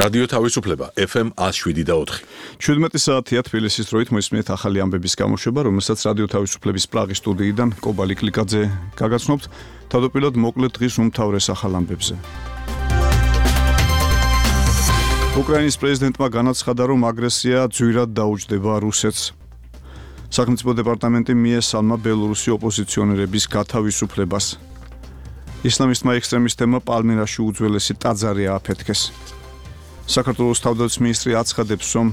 რადიო თავისუფლება FM 107.4. 17 საათია თბილისის დროით მოისმინეთ ახალი ამბების გამოშვება, რომელსაც რადიო თავისუფლების პრაღის სტუდიიდან კობალი კლიკაძე გაგაცნობთ. თავდაპირველად მოკლედ დღის უმთავრეს ახალ ამბებზე. უკრაინის პრეზიდენტმა განაცხადა, რომ აგრესია ძვირად დაუჯდება რუსეთს. სახელმწიფო დეპარტამენტი მიესალმა ბელორუსი ოპოზიციონერების გათავისუფლებას. ისლამისტმა ექსტრემისტებმა პალმირაში უძველესი ტაძარი ააფეთქეს. საქართველოს თავდაცვის მინისტრი აცხადებს, რომ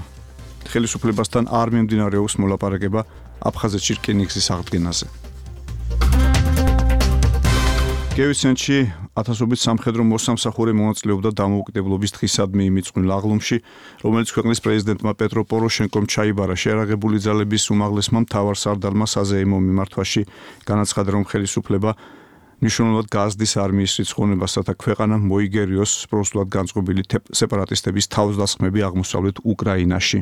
ხელისუფლებასთან არ მიმდინარეობს მოლაპარაკება აფხაზეთში რკინიგზის აღდგენაზე. კიევში ათასობით სამხედრო მოსამსახურე მონაწილეობდა დამოუკიდებლობის დღისადმი იმიწვნილ აღლუმში, რომელიც ქვეყნის პრეზიდენტმა პეტრო პოროშენკომ ჩაიბარა. შეერაღებული ძალების უმაღლესმა მთავარსარდალმა საზეიმო მიმართვაში განაცხადა, რომ ხელისუფლება მნიშვნელოვნად გაზრდის არმიის რიცხოვნებასა და ქვეყანამ მოიგერიოს პროსულად განწყობილი სეპარატისტების თავდასხმები აღმოსავლეთ უკრაინაში.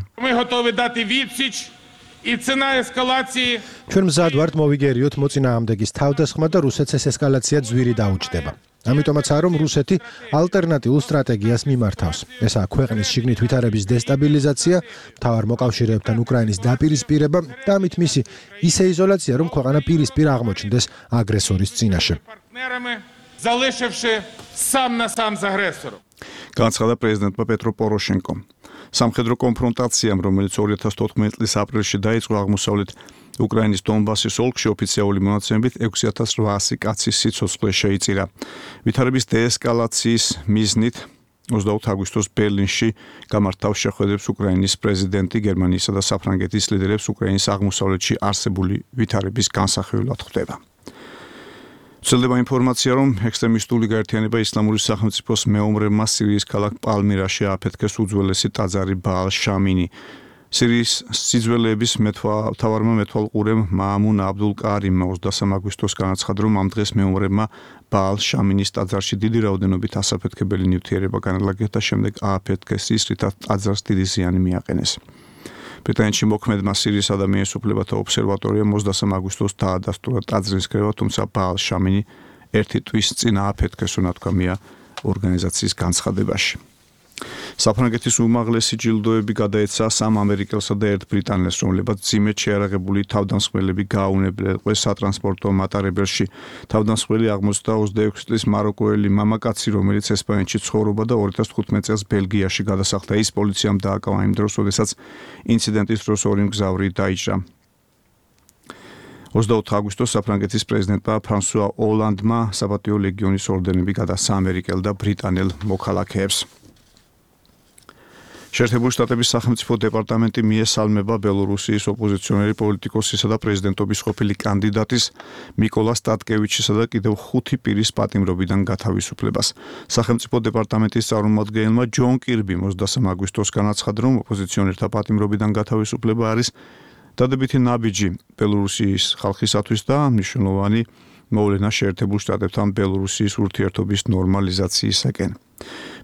ჩვენ მზად ვართ მოვიგერიოთ მოწინააღმდეგის თავდასხმა და რუსეთს ეს ესკალაცია ძვირი დაუჯდება. ამიტომაცაა, რომ რუსეთი ალტერნატიულ სტრატეგიას მიმართავს. ესაა ქვეყნის შიგნით ვითარების დესტაბილიზაცია, მთავარ მოკავშირეებთან უკრაინის დაპირისპირება და ამით მისი ისე იზოლაცია, რომ ქვეყანა პირისპირ აღმოჩნდეს აგრესორის წინაშე. განაცხადა პრეზიდენტმა პეტრო პოროშენკომ. სამხედრო კონფრონტაციამ, რომელიც 2014 წლის აპრილში დაიწყო აღმოსავლეთ უკრაინის დონბასის ოლქში, ოფიციალური მონაცემებით 6800 კაცის სიცოცხლე შეიწირა. ვითარების დეესკალაციის მიზნით 20 აგვისტოს ბერლინში გამართავს შეხვედრებს უკრაინის პრეზიდენტი, გერმანიისა და საფრანგეთის ლიდერებს უკრაინის აღმოსავლეთში არსებული ვითარების განსახილველად ხვდება. ვრცელდება ინფორმაცია, რომ ექსტრემისტული გაერთიანება ისლამური სახელმწიფოს მეომრებმა სირიის ქალაქ პალმირაში ააფეთქეს უძველესი ტაძარი ბაალ შამინი. სირიის სიძველეების მთავარმა მეთვალყურემ მაამუნ აბდულ კარიმმა 23 აგვისტოს განაცხადა, რომ ამ დღეს მეომრებმა ბაალ შამინის ტაძარში დიდი რაოდენობით ასაფეთქებელი ნივთიერება განალაგეს და შემდეგ ააფეთქეს ის, რითაც ტაძარს დიდი ზიანი მიაყენეს. ბრიტანეთში მოქმედმა სირიის ადამიანის უფლებათა ობსერვატორიამ 23 აგვისტოს დაადასტურა ტაძრის კრება, თუმცა ბაალ შამინი ერთი თვის წინ ააფეთქეს, უნათქვამია ორგანიზაციის განცხადებაში. საფრანგეთის უმაღლესი ჯილდოები გადაეცა 3 ამერიკელსა და 1 ბრიტანელს, რომლებიც ძიმედ შეარაღებული თავდამსხმელები გააუნებლეს სატრანსპორტო მატარებელში. თავდამსხმელი 26 წლის მაროკოელი მამაკაცი, რომელიც ესპანეთში ცხოვრობდა და 2015 წელს ბელგიაში გადასახლდა. ის პოლიციამ დააკავა იმ დროს, როდესაც ინციდენტის დროს ორი მგზავრი დაიჭრა. 24 აგვისტოს საფრანგეთის პრეზიდენტმა ფრანსუა ოლანდმა საპატიო ლეგიონის ორდენები გადასცა ამერიკელ და ბრიტანელ მოქალაქეებს. შეერთებული შტატების სახელმწიფო დეპარტამენტი მიესალმება ბელორუსიის ოპოზიციონერი პოლიტიკოსისა და პრეზიდენტობის ყოფილი კანდიდატის მიკოლა სტატკევიჩისა და კიდევ 5 პირის პატიმრობიდან გათავისუფლებას. სახელმწიფო დეპარტამენტის წარმომადგენელმა ჯონ კირბიმ 23 აგვისტოს განაცხადა, რომ ოპოზიციონერთა პატიმრობიდან გათავისუფლება არის დადებითი ნაბიჯი ბელორუსიის ხალხისათვის და მნიშვნელოვანი მოვლენა შეერთებულ შტატებთან ბელორუსიის ურთიერთობის ნორმალიზაციისაკენ.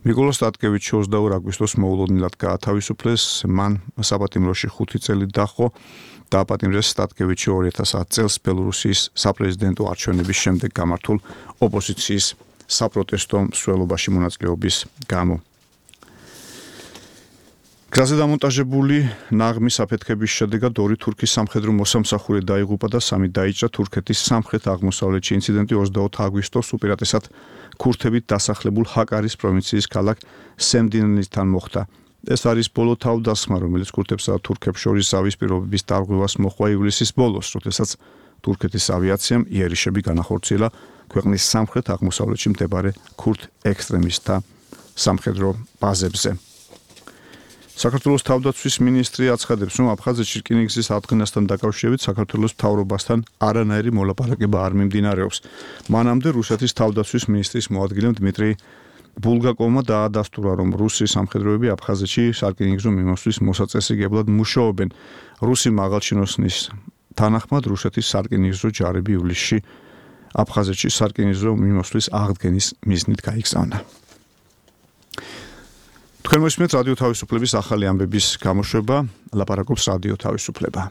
მიკოლა სტატკევიჩი 22 აგვისტოს მოულოდნელად გაათავისუფლეს, მან საპატიმროში 5 წელი დაჰყო. დააპატიმრეს სტატკევიჩი 2010 წელს ბელორუსიის საპრეზიდენტო არჩევნების შემდეგ გამართულ ოპოზიციის საპროტესტო მსვლელობაში მონაწილეობის გამო. გზაზე დამონტაჟებული ნაღმის აფეთქების შედეგად 2 თურქის სამხედრო მოსამსახურე დაიღუპა და 3 დაიჭრა. თურქეთის სამხრეთ-აღმოსავლეთში ინციდენტი 24 აგვისტოს უპირატესად ქურთებით დასახლებულ ჰაკარის პროვინციის ქალაქ სემდინისთან მოხდა. ეს არის ბოლო თავდასხმა, რომელიც ქურთებსა და თურქებს შორის ზავის პირობების დარღვევას მოჰყვა ივლისის ბოლოს, როდესაც თურქეთის ავიაციამ იერიშები განახორციელა ქვეყნის სამხრეთ-აღმოსავლეთში მდებარე ქურთ ექსტრემისტთა სამხედრო ბაზებზე. საქართველოს თავდაცვის მინისტრი აცხადებს, რომ აფხაზეთში რკინიგზის აღდგენასთან დაკავშირებით საქართველოს მთავრობასთან არანაირი მოლაპარაკება არ მიმდინარეობს. მანამდე რუსეთის თავდაცვის მინისტრის მოადგილემ დმიტრი ბულგაკოვმა დაადასტურა, რომ რუსი სამხედროები აფხაზეთში სარკინიგზო მიმოსვლის მოსაწესრიგებლად მუშაობენ. რუსი მაღალჩინოსნის თანახმად რუსეთის სარკინიგზო ჯარები ივლისში აფხაზეთში სარკინიგზო მიმოსვლის აღდგენის მიზნით გაიგზავნა. თქვენ მოსმენთ რადიო თავისუფლების ახალი ამბების გამოშვება, ლაპარაკობს რადიო თავისუფლება.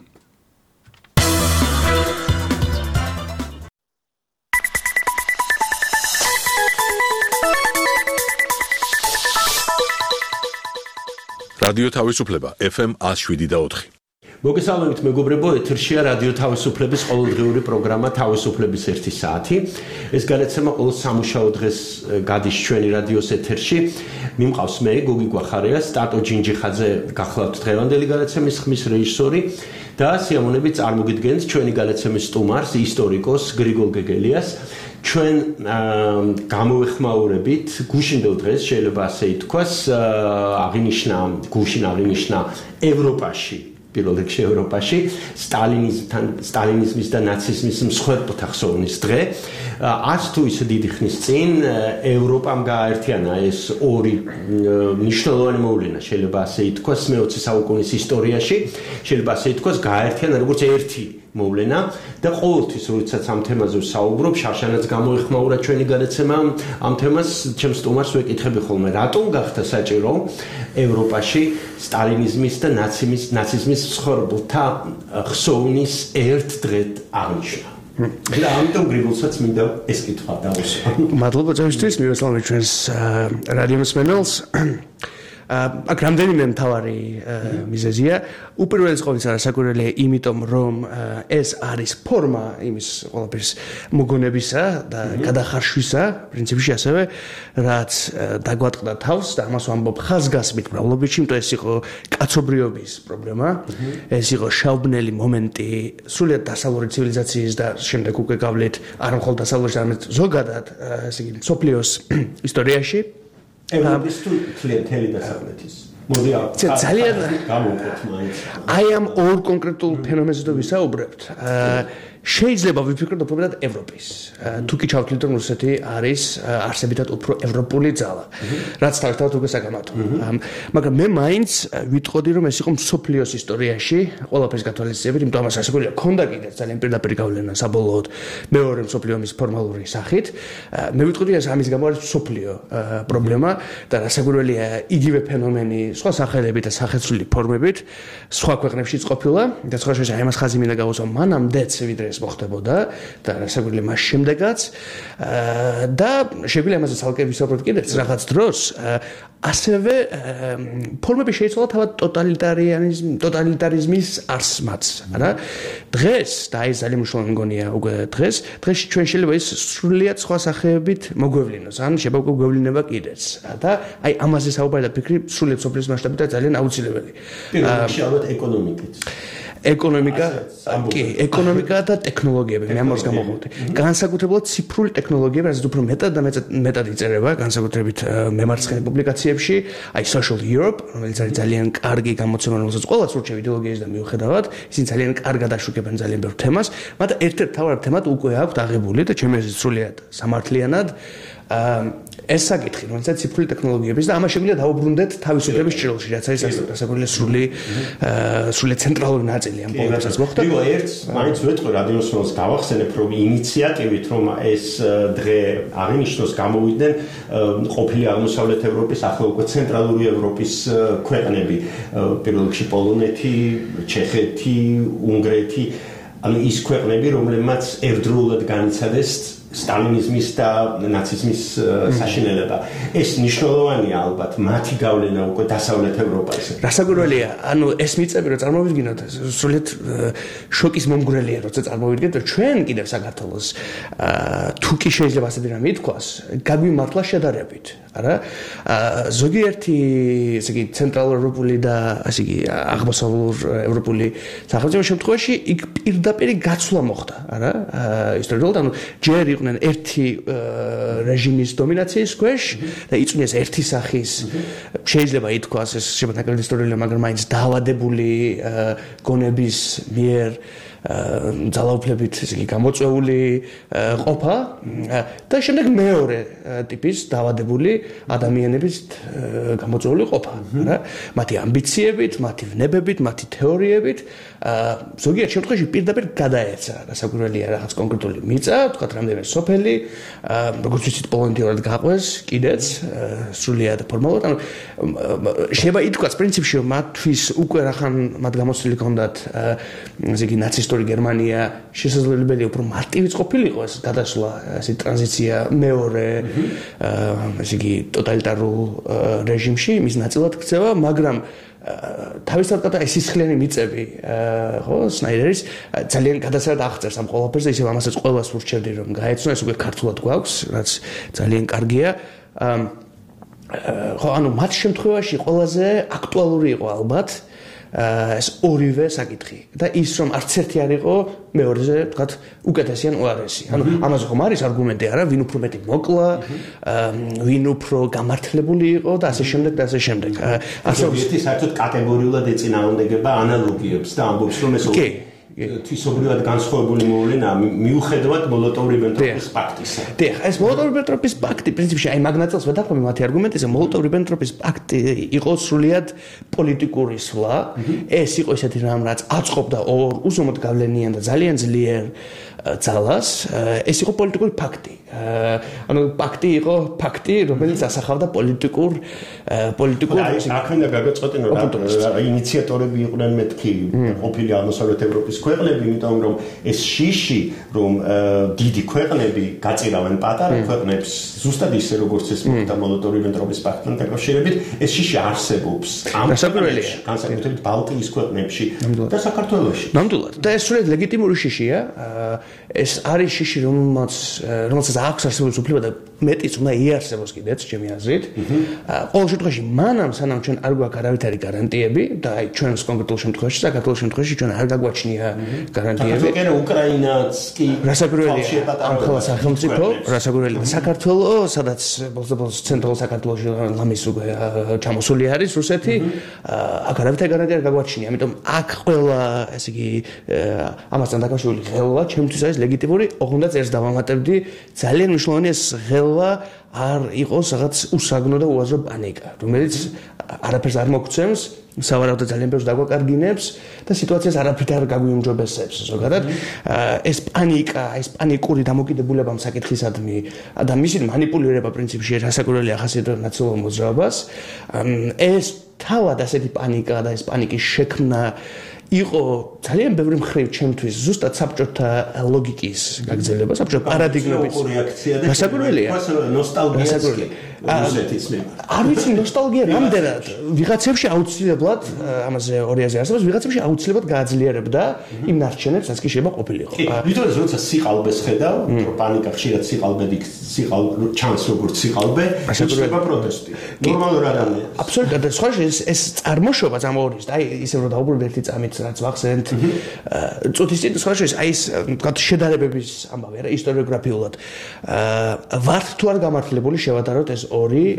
რადიო თავისუფლება FM 107.4. მოგესალმებით მეგობრებო, ეთერშია რადიო თავისუფლების ყოველდღიური პროგრამა თავისუფლების 1 საათი. ეს გადაცემა ყოველ სამუშაო დღეს გადის ჩვენი რადიოს ეთერში. მიმყავს მე გოგი გვახარია, სტატო ჯინჯიხაძე გახლავთ დღევანდელი გადაცემის ხმის რეჟისორი და სიამოვნებით წარმოგიდგენთ ჩვენი გადაცემის სტუმარს, ისტორიკოს გრიგოლ გეგელიას. ჩვენ გამოვეხმაურებით გუშინდელ დღეს შეიძლება ასე ითქვას, გუშინ აღინიშნა ევროპაში, პირველ რიგში ევროპაში სტალინიზმის და ნაციზმის მსხვერპლთა ხსოვნის დღე. არც თუ ისე დიდი ხნის წინ ევროპამ გააერთიანა ეს ორი მნიშვნელოვანი მოვლენა, შეიძლება ასე ითქვას, მე-20 საუკუნის ისტორიაში, შეიძლება ასე ითქვას, გააერთიანა როგორც ერთი მოვლენა და ყოველთვის როდესაც ამ თემაზე ვსაუბრობ, შარშანაც გამოეხმაურა ჩვენი გადაცემა ამ თემას, ჩემს სტუმარს ვეკითხები ხოლმე, რატომ გახდა საჭირო ევროპაში სტალინიზმის და ნაციზმის მსხვერპლთა ხსოვნის ერთ დღედ აღნიშნა. და ამიტომ გრიგოლსაც მინდა ეს კითხვა დავუსვა. მადლობა წევისთვის, მივესალმებით ჩვენს რადიომსმენელს. აქ რამდენიმე მთავარი მიზეზია. უპირველეს ყოვლისა საკვირველია, იმიტომ რომ ეს არის ფორმა იმის ყველაფრის მოგონებისა და გადახარშვისა, პრინციპში ასევე, რაც დაგვატყდა თავს და ამას ვამბობ ხაზგასმით მრავლობითში, იმიტომ ეს იყო კაცობრიობის პრობლემა, ეს იყო შავბნელი მომენტი სრულიად დასავლური ცივილიზაციის და შემდეგ უკვე გავლით არ მხოლოდ დასავლური, არამედ ზოგადად, ესე იგი, მსოფლიოს ისტორიაში. ევროპის თუ მთელი დასავლეთის. მოდი ძალიან გამოვყოთ მაინც. აი ამ ორ კონკრეტულ ფენომენზე თუ ვისაუბრებთ, შეიძლება ვიფიქროთ უბრალოდ ევროპის. თუ კი ჩავთვლით, რომ რუსეთი არის არსებითად უფრო ევროპული ძალა, რაც თავისთავად უკვე საკამათო. მაგრამ მე მაინც ვიტყოდი, რომ ეს იყო მსოფლიოს ისტორიაში ყველაფრის გათვალისწინებით, იმიტომ ამას ასეულია ქონდა კიდევ ძალიან პირდაპირ გავლენა საბოლოოდ მეორე მსოფლიო ომის ფორმალური სახით. მე ვიტყოდი, ეს ამის გამო არის მსოფლიო პრობლემა და რასაკვირველია, იგივე ფენომენი სხვა სახელებით და სახეცვლილი ფორმებით სხვა ქვეყნებშიც ყოფილა და სხვა შეიძლება ამას ხაზი მინდა გავუსვა მანამდეც ვიდრე ეს მოხდებოდა და რასაკვირველია მას შემდეგაც და შეგვიძლია ამაზე ცალკე ვისაუბროთ კიდევ რაღაც დროს. ასევე ფორმები შეიცვალა თავად ტოტალიტარიზმის არსმაც, არა? დღეს და აი ძალიან მნიშვნელოვანი მგონია უკვე დღეს ჩვენ შეიძლება ის სრულიად სხვა სახეებით მოგვევლინოს, ან შეიძლება უკვე გვევლინება კიდეც. და აი ამაზე საუბარი და ფიქრი სრულიად სოფლის მასშტაბით ძალიან აუცილებელი. შევავთ ეკონომიკით. ეკონომიკა და ტექნოლოგიები, მე ამას გამოვხდი. განსაკუთრებულად ციფრული ტექნოლოგიები, რაც უფრო მეტად იწერება, განსაკუთრებით მემარცხენე პუბლიკაციებში, აი Social Europe, რომელიც არის ძალიან კარგი გამოცემა, რომელსაც ყველას ურჩევ იდეოლოგიის და მიუხედავად, ისინი ძალიან კარგად აშუქებენ ძალიან ბევრ თემას, მაგრამ ერთ-ერთ მთავარ თემად უკვე აქვთ აღებული და ჩემი აზრით სრულიად სამართლიანად ეს საკითხი, რომელსაც ციფრული ტექნოლოგიების და ამას შეგვიძლია დავუბრუნდეთ თავისუფლების ჭრილში, რაც არის სასაკვირველია სრულიად ცენტრალური ნაწილი ამ პოლიტიკასაც მოხდა. იყო ერთს მაინც ვეტყვი რადიოსმენელს გავახსენებ, რომ ინიციატივით რომ ეს დღე აღინიშნოს გამოვიდნენ ყოფილი აღმოსავლეთ ევროპის, ახლა უკვე ცენტრალური ევროპის ქვეყნები, პირველ რიგში პოლონეთი, ჩეხეთი, უნგრეთი, ანუ ის ქვეყნები, რომლებმაც ერთდროულად განიცადეს სტალინიზმის და ნაციზმის საშინელება. ეს მნიშვნელოვანია ალბათ მათი გავლენა უკვე დასავლეთ ევროპაზე. რასაკვირველია, ანუ ეს მიწები რომ წარმოვიდგინოთ, სრულიად შოკის მომგვრელია, როცა წარმოვიდგინოთ, რომ ჩვენ კიდევ საქართველოს თუ კი შეიძლება ასეთი რამე ითქვას, გაგვიმართლა შედარებით, არა? ზოგიერთი, ესე იგი, ცენტრალურ ევროპული და ასე იგი, აღმოსავლურ ევროპული სახელმწიფო შემთხვევაში იქ პირდაპირ გაცვლა მოხდა, არა? ისტორიულად, ანუ ჯერ იყვნენ ერთი რეჟიმის დომინაციის ქვეშ და იწვნიეს ერთი სახის, შეიძლება ითქვას, ეს შეიძლება ნაკლები ისტორიულია, მაგრამ მაინც დაავადებული გონების მიერ ძალაუფლებით ესე იგი გამოწვეული ყოფა და შემდეგ მეორე ტიპის დაავადებული ადამიანების გამოწვეული ყოფა, რა? მათი ამბიციებით, მათი ვნებებით, მათი თეორიებით ზოგიერთ შემთხვევაში პირდაპირ გადაეცა რასაკვირველია რაღაც კონკრეტული მიწა, თქვათ რამდენიმე სოფელი, როგორც ვიცით პოლონეთიურად გაყვეს კიდეც სრულიად ფორმალურად, ანუ შეიძლება ითქვას პრინციპში რომ მათთვის უკვე რახან მათ გამოცდილი ჰქონდათ ესე იგი ნაცისტური გერმანია შესაძლებელი უფრო მარტივიც ყოფილიყო ეს გადასვლა, ესე ტრანზიცია მეორე ესე იგი ტოტალიტარულ რეჟიმში, მის ნაწილად ქცევა, მაგრამ თავისთავად ეს სისხლიანი მიწები ხო სნაიდერის ძალიან გადასარად აღწერს ამ ყველაფერს და ისევ ამასაც ყველას ვურჩევდი რომ გაეცნო ეს უკვე ქართულად გვაქვს რაც ძალიან კარგია ხო ანუ მათ შემთხვევაში ყველაზე აქტუალური იყო ალბათ ეს ორივე საკითხი და ის რომ არც ერთი არ იყო მეორეზე ვთქვათ უკეთესი ან უარესი ანუ ამაზე ხომ არის არგუმენტი არა ვინ უფრო მეტი მოკლა ვინ უფრო გამართლებული იყო და ასე შემდეგ და ასე შემდეგ ასე ერთი საერთოდ კატეგორიულად ეწინააღმდეგება ანალოგიებს და ამბობს რომ ეს თვისობრივად განსხვავებული მოვლენა მიუხედავად მოლოტოვ-რიბენტროპის პაქტისა. დიახ, ეს მოლოტოვ-რიბენტროპის პაქტი პრინციპში აი მაგ ნაწილს ვეთანხმები მათი არგუმენტზე მოლოტოვ-რიბენტროპის პაქტი იყო სრულიად პოლიტიკური სვლა. ეს იყო ისეთი რამ რაც აწყობდა ორ უზომოდ გავლენიან და ძალიან ძლიერ ძალას. ეს იყო პოლიტიკური ფაქტი. ანუ პაქტი იყო ფაქტი, რომელიც ასახავდა პოლიტიკურ აქ გაგაწყვეტინო რა ინიციატორები იყვნენ მეთქი ყოფილი აღმოსავლეთ ევროპის ქვეყნები, იმიტომ რომ ეს შიში რომ დიდი ქვეყნები გაწირავენ პატარა ქვეყნებს, ზუსტად ისე როგორც ეს მოხდა მოლოტოვ-რიბენტროპის პაქტთან დაკავშირებით, ეს შიში არსებობს ამ ქვეყნებში, განსაკუთრებით ბალტიის ქვეყნებში და საქართველოში. ნამდვილად. და ეს სრულიად ლეგიტიმური შიშია. ეს არის შიში, რომელსაც აქვს არსებობის უფლება და მეტიც უნდა იარსებოს კიდეც ჩემი აზრით. ყოველ შემთხვევაში მანამ სანამ ჩვენ არ გვაქვს არავითარი გარანტიები და აი ჩვენს კონკრეტულ შემთხვევაში საქართველოს შემთხვევაში ჩვენ არ გაგვაჩნია გარანტიები. საქართველოს უკრაინაც კი რასაკვირველია ამ ხელა სახელმწიფო, რასაკვირველია საქართველოს, სადაც ბოლოს ცენტრალურ საქართველოში ლამის უკვე ჩამოსული არის რუსეთი, აქ არავითარი გარანტია არ გაგვაჩნია, ამიტომ აქ ყველა ესე იგი ამასთან დაკავშირებული ხელა ჩემთვის არის ლეგიტიმური, ოღონდ ერთს დავამატებდი, ძალიან მნიშვნელოვანი ეს ხელა არ იყოს რაღაც უსაგნო და უაზრო პანიკა, რომელიც არაფერს არ მოგცემს, სავარაუდოდ ძალიან ბევრს დაგვაკარგინებს და სიტუაციას არაფრით არ გაგვიუმჯობესებს ზოგადად. ეს პანიკა, ეს პანიკური დამოკიდებულება საკითხისადმი და მისი მანიპულირება პრინციპში რასაკვირველია ახასიათებს ნაცნობ მოძრაობას. ეს თავად ასეთი პანიკა და ეს პანიკის შექმნა იყო ძალიან ბევრი მხრივ ჩემთვის ზუსტად საბჭოთა ლოგიკის გაგრძელება, საბჭოთა პარადიგმების რეაქცია და რასაკვირველია ნოსტალგია რუსეთის არ ვიცი ნოსტალგია რამდენად ვიღაცებში აუცილებლად ამაზე ორიაზე არსებობს ვიღაცებში აუცილებლად გააძლიერებდა იმ ნარჩენებს რაც კი შეიძლება ყოფილიყო იმიტომ რომ როცა სიყალბეს ხედავ რომ პანიკა ხშირად სიყალბედი ჩანს როგორც სიყალბე შეიძლება პროტესტი ნორმალურ ადამიანს აბსოლუტურად და სხვა ეს წარმოშობაც ამორის და აი ისე რომ დაუბრუნდეთ ერთი წამით რაც ვახსენეთ წუთის წინ სხვა აი ეს თქვა შედარებების ამბავი არა ისტორიოგრაფიულად ვართ თუ არ გამართლებული შევადაროთ ეს ორი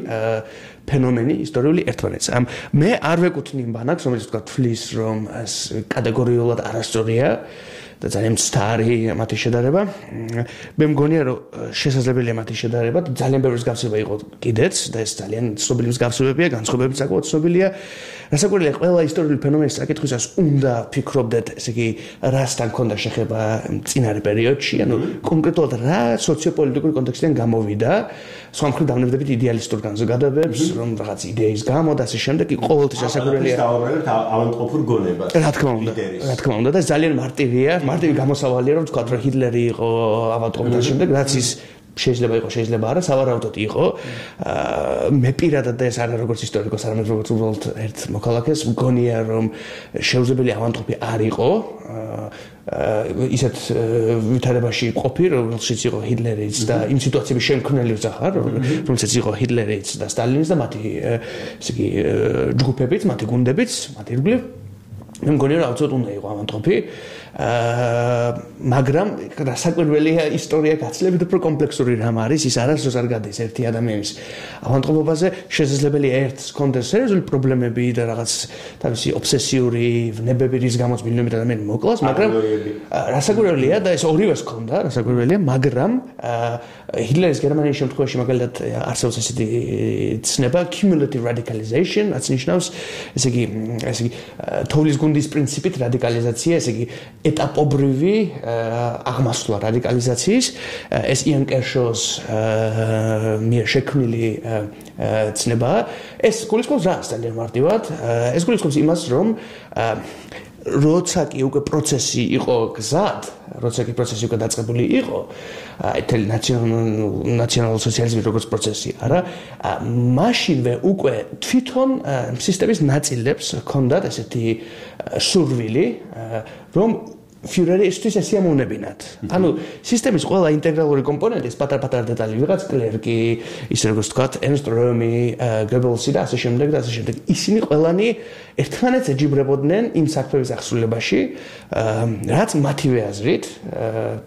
ფენომენი ისტორიული ერთმანეთს. მე არ ვეკუთვნი იმ ბანაკს, რომელიც თქვა თვლის, რომ ეს კატეგორიულად არასწორია და ძალიან მცდარი მათი შედარება. მე მგონია, რომ შესაძლებელია მათი შედარება და ძალიან ბევრი მსგავსება იყო კიდეც და ეს ძალიან ცნობილი მსგავსებებია, განსხვავებები საკმაოდ ცნობილია. რასაკვირველია, ყველა ისტორიული ფენომენის საკითხვისას უნდა ფიქრობდეთ, ესე იგი, რასთან ქონდა შეხება წინარე პერიოდში, ანუ კონკრეტულად რა სოციოპოლიტიკური კონტექსტიდან გამოვიდა. სხვა მხრივ დავნებდებით იდეალისტურ განზოგადებებს, რომ რაღაც იდეის გამო და ასე შემდეგ, ყოველთვის რასაკვირველია. დავაბრალეთ ავანტყოფურ გონებას. რა თქმა უნდა და ძალიან მარტივია, მარტივი გამოსავალია, რომ თქვა, რომ ჰიტლერი იყო ავანტყოფი და შემდეგ, რაც ის შეიძლება იყო, შეიძლება არა, სავარაუდოდ იყო. მე პირადად და ეს არა როგორც ისტორიკოს, არამედ როგორც უბრალოდ ერთ მოქალაქეს მგონია, რომ შეუძლებელი ავანტყოფი არ იყო. ისეთ ვითარებაში ყოფი, რომელშიც იყო ჰიტლერიც და იმ სიტუაციების შემქმნელი ვძახარ, რომელსაც იყო ჰიტლერიც და სტალინის და მათი ესე იგი ჯგუფებიც, მათი გუნდებიც, მათი ირგვლივ. მე მგონია, რომ აუცილებლად უნდა იყო ავანტყოფი. მაგრამ რასაკვირველია ისტორია გაცილებით უფრო კომპლექსური რამ არის, ის არასდროს არ გადის ერთი ადამიანის ავანტყოფობაზე, შესაძლებელია ერთს ჰქონდეს სერიოზული პრობლემები და რაღაც თავისი ობსესიური ვნებები, რის გამოც მილიონობით ადამიანი მოკლას, მაგრამ რასაკვირველია და ეს ორივეს ჰქონდა, რასაკვირველია, მაგრამ ჰიტლერის გერმანიის შემთხვევაში მაგალითად არსებობს ესეთი ცნება cumulative radicalization, რაც ნიშნავს, ესე იგი, თოვლის გუნდის პრინციპით რადიკალიზაცია, ესე იგი ეტაპობრივი აღმასვლა რადიკალიზაციის ეს იან კერშოს მიერ შექმნილი ცნებაა ეს გულისხმობს რას ძალიან მარტივად ეს გულისხმობს იმას რომ როცა კი უკვე პროცესი იყო გზად, როცა კი პროცესი უკვე დაწყებული იყო, ეთელი ნაციონალურ სოციალიზმის როგორც პროცესი, არა, მაშინვე უკვე თვითონ სისტემის ნაწილებს ჰქონდათ ესეთი სურვილი, რომ Führeri istvis esiamunebinat. Ანუ სისტემის ყველა ინტეგრალური კომპონენტის პატარ-პატარ დეტალი ვიღაც კლერკი, ისე როგორც თქვათ, Ernst Röhm, Goebbels და ასე შემდეგ და ასე შემდეგ. ისინი ყველანი ერთმანეთს ეჯიბრებოდნენ იმ საქმეების აღსრულებაში, რაც მათივე აზრით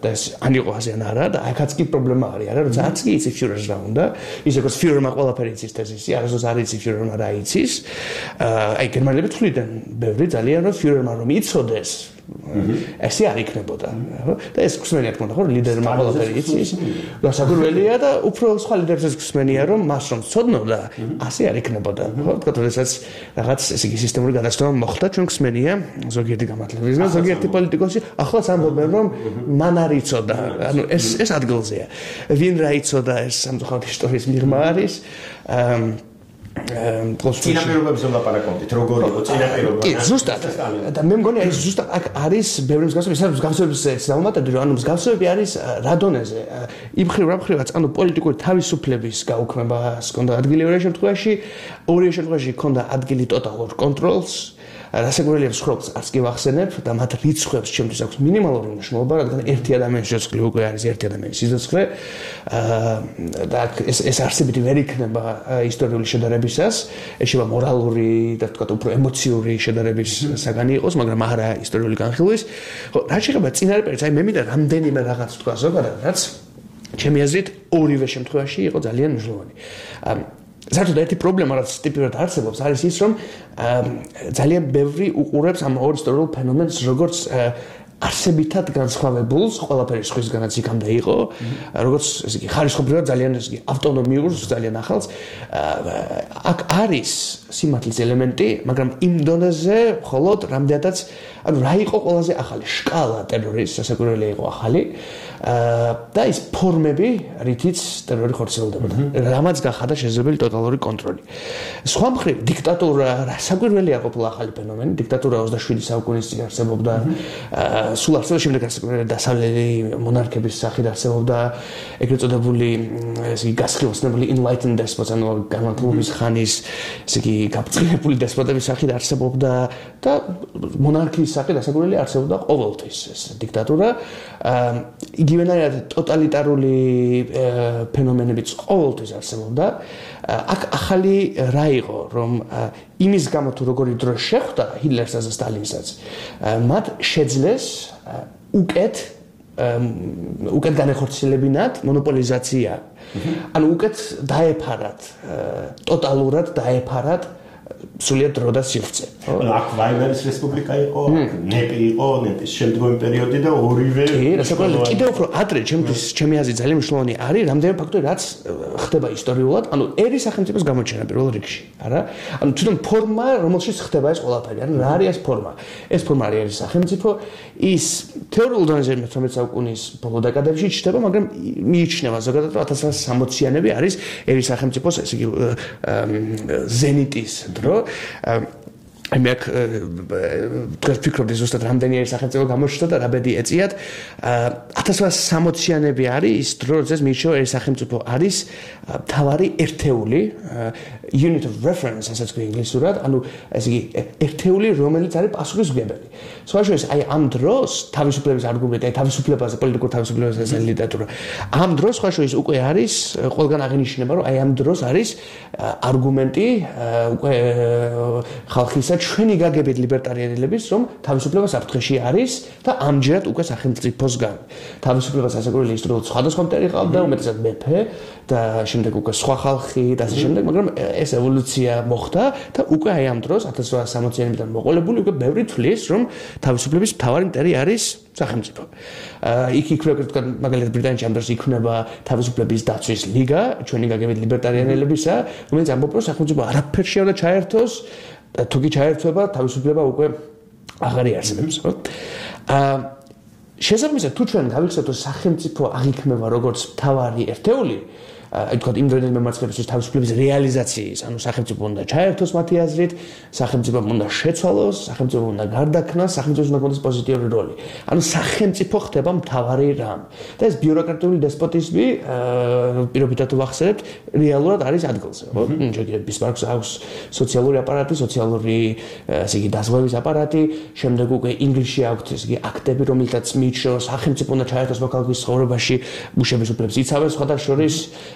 და ეს ან იყო ასე ან არა და აქაც კი პრობლემა არის, არა, როცა არც კი იცის Führerს რა უნდა, ისე როგორც Führerმა ყველაფერი იცის თეზისი, არასდროს არ იცის Führerმა რა იცის. აი გერმანელები თვლიდნენ ბევრი ძალიან რომ Führerმა რომ იცოდეს ესე არ იქნებოდა. და ეს გსმენია თქონდა ხო ლიდერმა ყველაფერი იცის. გასაკვირველია და უფრო სხვა ლიდერებს გსმენია რომ მას რომ ცოდნოდა, ასე არ იქნებოდა. ხო, თქო, როდესაც რაღაც ესე იგი სისტემური გადაცემა მოხდა, ჩვენ გსმენია ზოგიერთი გამართლებისგან, ზოგიერთი პოლიტიკოსი ახლაც ამბობენ რომ მან არ იცოდა. ანუ ეს ადგილზეა. ვინ რა იცოდა ეს სამწუხაროდ ისტორიის მიღმა არის. წინაპირობებს ვლაპარაკობთ, როგორ იყო წინაპირობა? კი, ზუსტად. და მე მგონი ეს ზუსტად აქ არის ბევრი მსგავსება, ეს მსგავსებების დავუმატებდი, რომ ანუ მსგავსებები არის რა დონეზე? იმ მხრივ რა მხრივაც, ანუ პოლიტიკური თავისუფლების გაუქმებას ჰქონდა ადგილი ორივე შემთხვევაში ჰქონდა ადგილი ტოტალურ კონტროლს. რასაკვირველია მსხვერპლს არც კი ვახსენებ და მათ რიცხვებს ჩემთვის აქვს მინიმალური მნიშვნელობა, რადგან ერთი ადამიანის სიცოცხლე უკვე არის ერთი ადამიანის სიცოცხლე. და ეს არსებითი ვერ იქნება ისტორიული შედარებისას, ეშება მორალური და თქვა უფრო ემოციური შედარების საგანი იყოს, მაგრამ არა ისტორიული განხილვის. ხო, რა შეიძლება წინარეპერიც, აი მე მინდა რამდენიმე რაღაც თქვა ზოგადად, რაც ჩემი აზრით ორივე შემთხვევაში იყო ძალიან მნიშვნელოვანი. საერთოდ ერთი პრობლემა რაც ტიპიურად არსებობს არის ის რომ ძალიან ბევრი უყურებს ამ ორ ისტორიულ ფენომენს როგორც არსებითად განსხვავებულს ყველაფერი სხვისგანაც იქამდე იყო როგორც ესე იგი ხარისხობრივად ძალიან ესე იგი ავტონომიურს ძალიან ახალს აქ არის სიმართლის ელემენტი მაგრამ იმ დონეზე მხოლოდ რამდენადაც ანუ რა იყო ყველაზე ახალი შკალა ტერორის სასაკვირველია იყო ახალი და ის ფორმები რითიც ტერორი ხორციელდებოდა რამაც გახადა შესაძლებელი ტოტალური კონტროლი სხვა მხრივ დიქტატურა საკვირველია ყოფილა ახალი ფენომენი დიქტატურა 27 საუკუნის წინ არსებობდა სულ არსებობს შემდეგ დასავლელი მონარქების სახით არსებობდა ეგრეთ წოდებული ესე იგი გასხივოცნებული enlightened despots ანუ განმავლობის ხანის ესე იგი გაბწყინებული დესპოტების სახით არსებობდა და მონარქიის სახით ასაკურველი არსებობდა ყოველთვის ეს დიქტატურა იგივენაირად ტოტალიტარული ფენომენებიც ყოველთვის არსებობდა აქ ახალი რა იყო რომ იმის გამო თუ როგორი დრო შეხვდა ჰიტლერსა და სტალინსაც მათ შეძლეს უკეთ განეხორციელებინათ მონოპოლიზაცია ანუ უკეთ დაეფარათ ტოტალურად დაეფარათ სულიად დრო და სივრცე. აქ ვაიმარის რესპუბლიკა იყო, ნეპი იყო, ნეპის შემდგომი პერიოდი და ორივე რასაკვირველია კიდევ უფრო ადრე ჩემი აზრით ძალიან მნიშვნელოვანი არის რამდენიმე ფაქტორი რაც ხდება ისტორიულად, ანუ ერის სახელმწიფოს გამოჩენა პირველ რიგში, არა? ანუ თვითონ ფორმა, რომელშიც ხდება ეს ყველაფერი, ანუ რა არის ეს ფორმა? ეს ფორმა არის ერის სახელმწიფო, ის თეორიულ დონეზე 19 საუკუნის ბოლო დეკადებში ჩნდება, მაგრამ მიიჩნევა ზოგადად რომ 1960-იანები არის ერის სახელმწიფოს ესე იგი ზენიტის დრო მე აქ თქვენ ფიქრობთ ზუსტად რამდენი არის სახელმწიფო გამოჩნდა და რა ბედი ეწიათ 1960-იანები არის ის დრო როდესაც მიიჩნევა ეს სახელმწიფო არის მთავარი ერთეული unit of reference ასაც ქვია ინგლისურად ანუ ესე იგი ერთეული რომელიც არის პასუხისმგებელი სხვა შორის აი ამ დროს თავისუფლების არგუმენტი აი თავისუფლებაზე პოლიტიკურ თავისუფლებაზე ეს ლიტერატურა ამ დროს სხვა შორის უკვე არის ყველგან აღინიშნება რომ აი ამ დროს არის არგუმენტი უკვე ხალხისა ჩვენი გაგებით ლიბერტარიანელების რომ თავისუფლება საფრთხეში არის და ამჯერად უკვე სახელმწიფოსგან თავისუფლებას ასაკურველი ისტორიულად სხვადასხვა მტერი ყავდა უმეტესად მეფე და შემდეგ უკვე სხვა ხალხი და ასე შემდეგ მაგრამ ეს ევოლუცია მოხდა და უკვე აი ამ დროს 1860-იანებიდან მოყოლებული უკვე ბევრი თვლის რომ თავისუფლების მთავარი მტერი არის სახელმწიფო. იქ იქნება მაგალითად ბრიტანეთში ამ დროს იქნება თავისუფლების დაცვის ლიგა ჩვენი გაგებით ლიბერტარიანელებისა რომელიც ამბობს რომ სახელმწიფო არაფერში არ უნდა ჩაერთოს თუ კი ჩაერთვება თავისუფლება უკვე აღარ იარსებებს ხო? შესაბამისად თუ ჩვენ გავიხსენოთ რომ სახელმწიფო აღიქმება როგორც მთავარი ერთეული თქვათ იმდროინდელი მემარცხენეების თავისუფლების რეალიზაციის, ანუ სახელმწიფო უნდა ჩაერთოს მათი აზრით, სახელმწიფომ უნდა შეცვალოს, სახელმწიფომ უნდა გარდაქმნას, სახელმწიფოს უნდა გქონდეს პოზიტიური როლი. ანუ სახელმწიფო ხდება მთავარი რამ. და ეს ბიუროკრატიული დესპოტიზმი, პირობითად ვახსენებთ, რეალურად არის ადგილზე, ხო? ბისმარკს აქვს სოციალური აპარატი, სოციალური ესე იგი დაზღვევის აპარატი, შემდეგ უკვე ინგლისში აქვს ესე იგი აქტები, რომელთაც მიიჩნევა სახელმწიფო უნდა ჩაერთოს მოქალაქის ცხოვრებაში, მუშების უფლებებს იცავენ სხვადასხვა შორის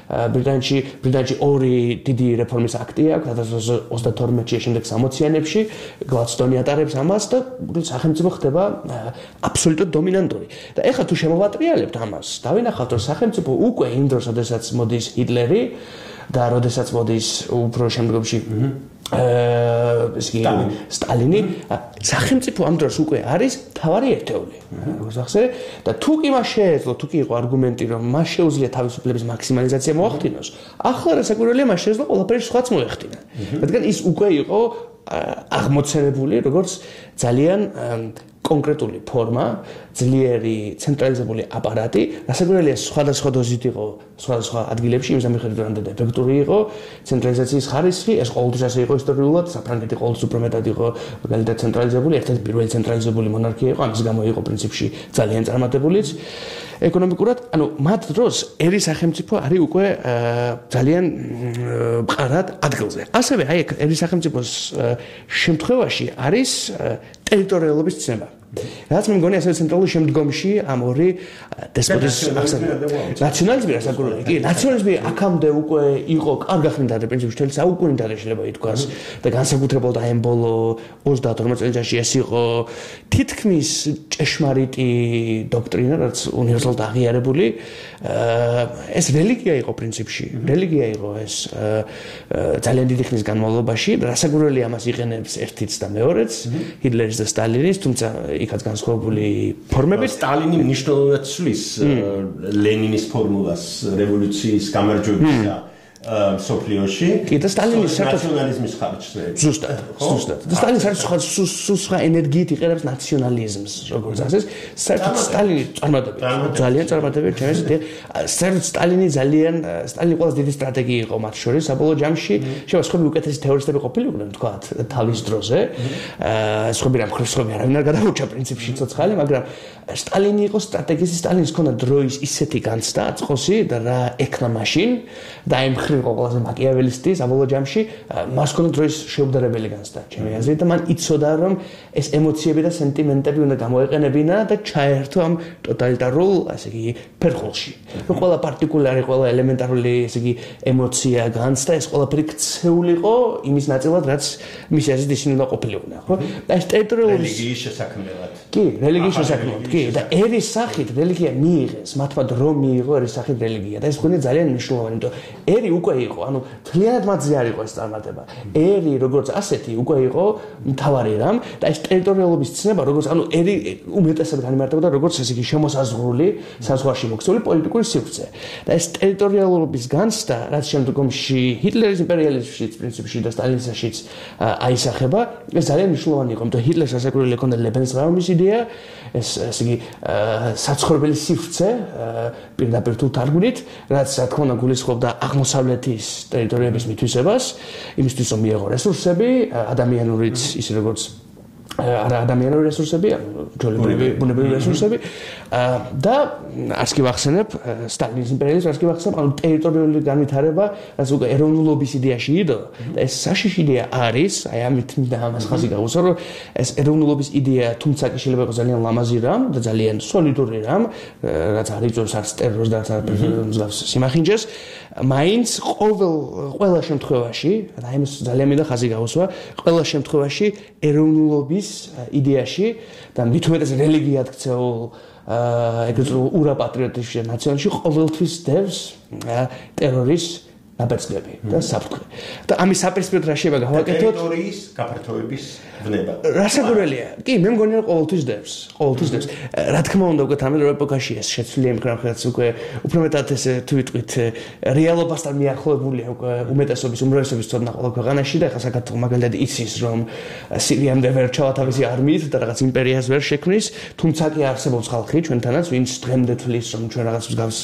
ბრიტანეთში ორი დიდი რეფორმის აქტი აქვს 1932-ში შემდეგ 60-იანებში გლადსტონი ატარებს ამას და სახელმწიფო ხდება აბსოლუტურად დომინანტური და ეხლა თუ შემოვატრიალებთ ამას დავინახავთ რომ სახელმწიფო უკვე იმ დროს როდესაც მოდის ჰიტლერი და როდესაც მოდის უფრო შემდგომში სტალინი სახელმწიფო ამ დროს უკვე არის თავარი ერთეული როგორც ახსენე და თუ კი მას შეეძლო თუ კი იყო არგუმენტი რომ მას შეუძლია თავისუფლების მაქსიმალიზაცია მოახდინოს ახლა რასაკვირველია მას შეეძლო ყველაფერი სხვაც მოეხდინა რადგან ის უკვე იყო აღმოცენებული როგორც ძალიან კონკრეტული ფორმა, ძლიერი ცენტრალიზებული აპარატი, რასაკვირველია სხვადასხვა დოზით იყო სხვადასხვა ადგილებში, იმის მიხედვით რამდენად ეფექტური იყო ცენტრალიზაციის ხარისხი, ეს ყოველთვის ასე იყო ისტორიულად, საფრანგეთი ყოველთვის უფრო მეტად იყო მაგალითად ცენტრალიზებული, ერთ-ერთი პირველი ცენტრალიზებული მონარქია იყო, ამის გამო იყო პრინციპში ძალიან წარმატებულიც. ეკონომიკურად, ანუ მათ დროს ერის სახელმწიფო არის უკვე ძალიან მყარად ადგილზე. ასევე აი ერის სახელმწიფოს შემთხვევაში არის ტერიტორიალობის ცნება. რაც მე მგონი ასევე ცენტრალური შემდგომში ამ ორი დესპოტის ნაციონალიზმი რასაკვირველია. კი, ნაციონალიზმი აქამდე უკვე იყო კარგახნიტარი პრინციპში მთელი საუკუნიდან შეიძლება ითქვას და განსაკუთრებულად აი ამ ბოლო 30-40 წელიწადში ეს იყო თითქმის ჭეშმარიტი დოქტრინა, რაც უნივერსალურად აღიარებული. ეს რელიგია იყო პრინციპში. რელიგია იყო ეს ძალიან დიდი ხნის განმავლობაში. რასაკვირველია ამას იყენებს ერთიც და მეორეც, ჰიტლერის და სტალინის, თუმცა იქაც განსხვავებული ფორმებით სტალინი მნიშვნელოვნად ცვლის ლენინის ფორმულას რევოლუციის გამარჯვებისა სოფლიოში კი და სტალინის ნაციონალიზმის ხარჯზე ზუსტად და სტალინი სხვა ენერგიით იყენებს ნაციონალიზმს როგორც ასეს საერთოდ სტალინი ძალიან წარმატებია ჩემს საერთოდ სტალინი ყველაზე დიდი სტრატეგია იყო მათ შორის საბოლოო ჯამში შეიძლება სხვები უკეთესი თეორისტები ყოფილიყვნენ თქვათ თავის დროზე სხვები არავინ არ გადაურჩა პრინციპში ცოცხალი მაგრამ სტალინი იყო სტრატეგისტი სტალინის ჰქონდა დროის ისეთი განცდა აწყოსი და რა ექნა მაშინ და აი იყო ყველაზე მაკიაველისტი საბოლოო ჯამში მას ჰქონდა დროის შეუგდრებელი განცდა ჩემი აზრით და მან იცოდა რომ ეს ემოციები და სენტიმენტები უნდა გამოეყენებინა და ჩაერთო ამ ტოტალიტარულ ასე იგი ფერხულში რომ ყველა პარტიკულარი ყველა ელემენტარული ასე იგი ემოცია განცდა ეს ყველაფერი ქცეულიყო იმის ნაწილად რაც მისი აზრით ისინი უნდა ყოფილიყვნენ ხო და ეს ტერიტორიული რელიგიის შესაქმნელად კი რელიგიის შესაქმნელად კი და ერის სახით რელიგია მიიღეს მათმა დრო მიიღო ერის სახით რელიგია და ეს მგონია ძალიან მნიშვნელოვანი იმიტომ ერი უკვე იყო, ანუ თლიანად მათზე არ იყო ეს წარმატება. ერი როგორც ასეთი უკვე იყო მთავარი რამ და ეს ტერიტორიალობის ცნება, როგორც ანუ ერი უმეტესად განიმარტებოდა როგორც ესე იგი შემოსაზღვრული, საზღვარში მოქცეული პოლიტიკური სივრცე. და ეს ტერიტორიალობის განცდა, რაც შემდგომში ჰიტლერის იმპერიალიზმშიც, პრინციპში და სტალინიზმშიც აისახება, ეს ძალიან მნიშვნელოვანი იყო, იმიტომ ჰიტლერს რასაკვირველი ჰქონდა ლებენსრაუმის იდეა, ეს ესე იგი საცხოვრებელი სივრცე პირდაპირ თუ თარგმნით, რაც რა თქმა უნდა გულისხმობდა აღმოსავლეთის ტერიტორიების მითვისებას, იმისთვის რომ მიეღო რესურსები, ადამიანურიც ისე როგორც ადამიანური რესურსები, ბუნებრივი რესურსები და არც კი ვახსენებ სტალინის იმპერიალიზმს, არც კი ვახსენებ ანუ ტერიტორიული განვითარება, რაც უკვე ეროვნულობის იდეაში იდო და ეს საშიში იდეა არის, აი ამით მინდა ამას ხაზი გავუსვა, რომ ეს ეროვნულობის იდეა თუმცა კი შეიძლება იყოს ძალიან ლამაზი რამ და ძალიან სოლიდური რამ, რაც არ იწვევს არც ტერორს და არც მსგავს სიმახინჯეს, მაინც ყველა შემთხვევაში, და ამის ძალიან მინდა ხაზი გავუსვა, ყველა შემთხვევაში ეროვნულობის იდეაში და მით უმეტეს რელიგიად ქცეულ ეგრეთ ურაპატრიოტიზმში ნაციონალში ყოველთვის დევს ტერორის დაბეჭდები და საფრთხე. და ამის საპირისპიროდ რა შეიძლება გავაკეთოთ? ტერიტორიის გაფართოების ვნება. რასაკვირველია. კი, მე მგონი რომ ყოველთვის დევს. რა თქმა უნდა, უკვე თანამედროვე ეპოქაში ეს შეცვლილი ემიგრანტებს უკვე უფრო მეტად ესე თუ ვიტყვით რეალობასთან მიახლოებულია უკვე უმეტესობის უმრავლესობის ცოდნა ყოველ ქვეყანაში და ახლა საქართველოს მაგალითად იცის რომ სირიამდე ვერ ჩავა თავისი არმიით და რაღაც იმპერიას ვერ შექმნის, თუმცა კი არსებობს ხალხი ჩვენთანაც, ვინც დღემდე თვლის რომ ჩვენ რაღაც მსგავს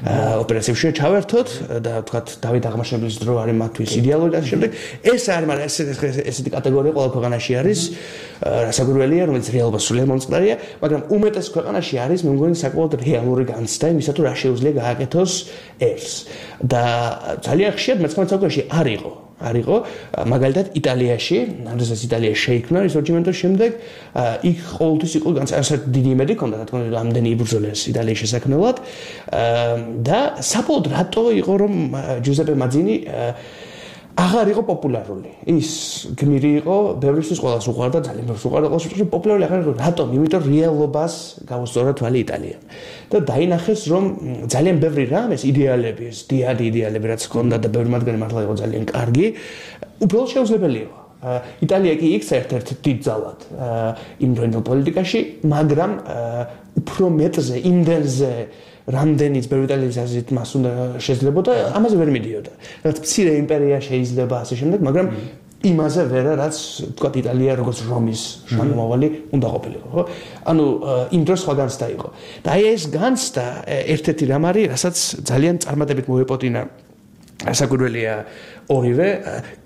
ოპერაციებში ჩავერთოთ და თქვათ დავით აღმაშენებლის დრო არის მათთვის იდეალური და შემდეგ ეს არ მაგრამ ესეთი კატეგორია ყოველ ქვეყანაში არის რასაკვირველია რომელიც რეალობას სრულიად მომწყდარია მაგრამ უმეტეს ქვეყანაში არის მე მგონი საკმაოდ რეალური განცდა იმისა თუ რა შეუძლია გააკეთოს ეს და ძალიან ხშირად მე-19 საუკუნეში არ იყო მაგალითად იტალიაში როდესაც იტალია შეიქმნა რისორჯიმენტოს შემდეგ იქ ყოველთვის იყო განსაკუთრებით დიდი იმედი ჰქონდა რა თქმა უნდა ამდენი იბრძოლეს იტალიის შესაქმნელად და საბოლოოდ რატო იყო რომ ჯუზეპე მაძინი აღარ იყო პოპულარული ის გმირი იყო ბევრისთვის ყველას უყვარდა ძალიან ბევრს უყვარდა ყოველთვის პოპულარული აღარ იყო რატომ იმიტომ რეალობას გაუსწორა თვალი იტალიამ და დაინახეს რომ ძალიან ბევრი რამ ეს იდეალები ეს დიადი იდეალები რაც ჰქონდა და ბევრი მათგანი მართლა იყო ძალიან კარგი უბრალოდ შეუძლებელი იყო იტალია კი იქცა ერთ-ერთ დიდ ძალად იმდროინდელ პოლიტიკაში მაგრამ უფრო მეტზე იმდენზე რამდენიც ბევრი იტალიის აზრით მას უნდა შეძლებოდა ამაზე ვერ მიდიოდა რაც მცირე იმპერია შეიძლება ასე შემდეგ მაგრამ იმაზე ვერა რაც თქვა იტალია როგორც რომის შთამომავალი უნდა ყოფილიყო ხო ანუ იმ დროს სხვა განცდა იყო და აი ეს განცდა ერთ-ერთი რამ არის რასაც ძალიან წარმატებით მოეპოტინა ასაკურველია ორივე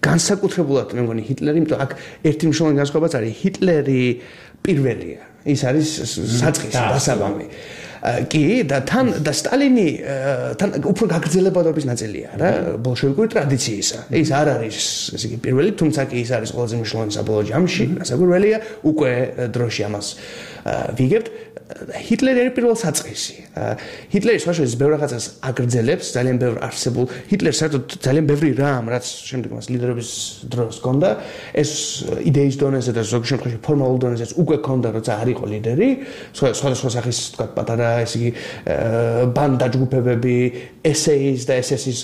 განსაკუთრებულად მე მგონი ჰიტლერი იმიტომ აქ ერთი მნიშვნელოვანი განსხვავებაც არის ჰიტლერი პირველია ის არის საწყისი დასაბამი კი და თან და სტალინი თან უფრო გაგრძელებადობის ნაწილია რა ბოლშევიკური ტრადიციისა ის არ არის ესე იგი პირველი თუმცა კი ის არის ყველაზე მნიშვნელოვანი საბოლოო ჯამში ასაკურველია უკვე დროში ამას ვიგებთ ჰიტლერი არის პირველ საწყისი ჰიტლერი სხვაშორის ბევრ რაღაცას აგრძელებს ძალიან ბევრ არსებულ ჰიტლერს საერთოდ ძალიან ბევრი რამ რაც შემდეგ მას ლიდერობის დროს ჰქონდა ეს იდეის დონეზე და ზოგ შემთხვევაში ფორმალურ დონეზეც უკვე ჰქონდა როცა არ იყო ლიდერი სხვადასხვა სახის თქვა პატარა ესე იგი ბანდა ჯგუფებები SS და SS-ის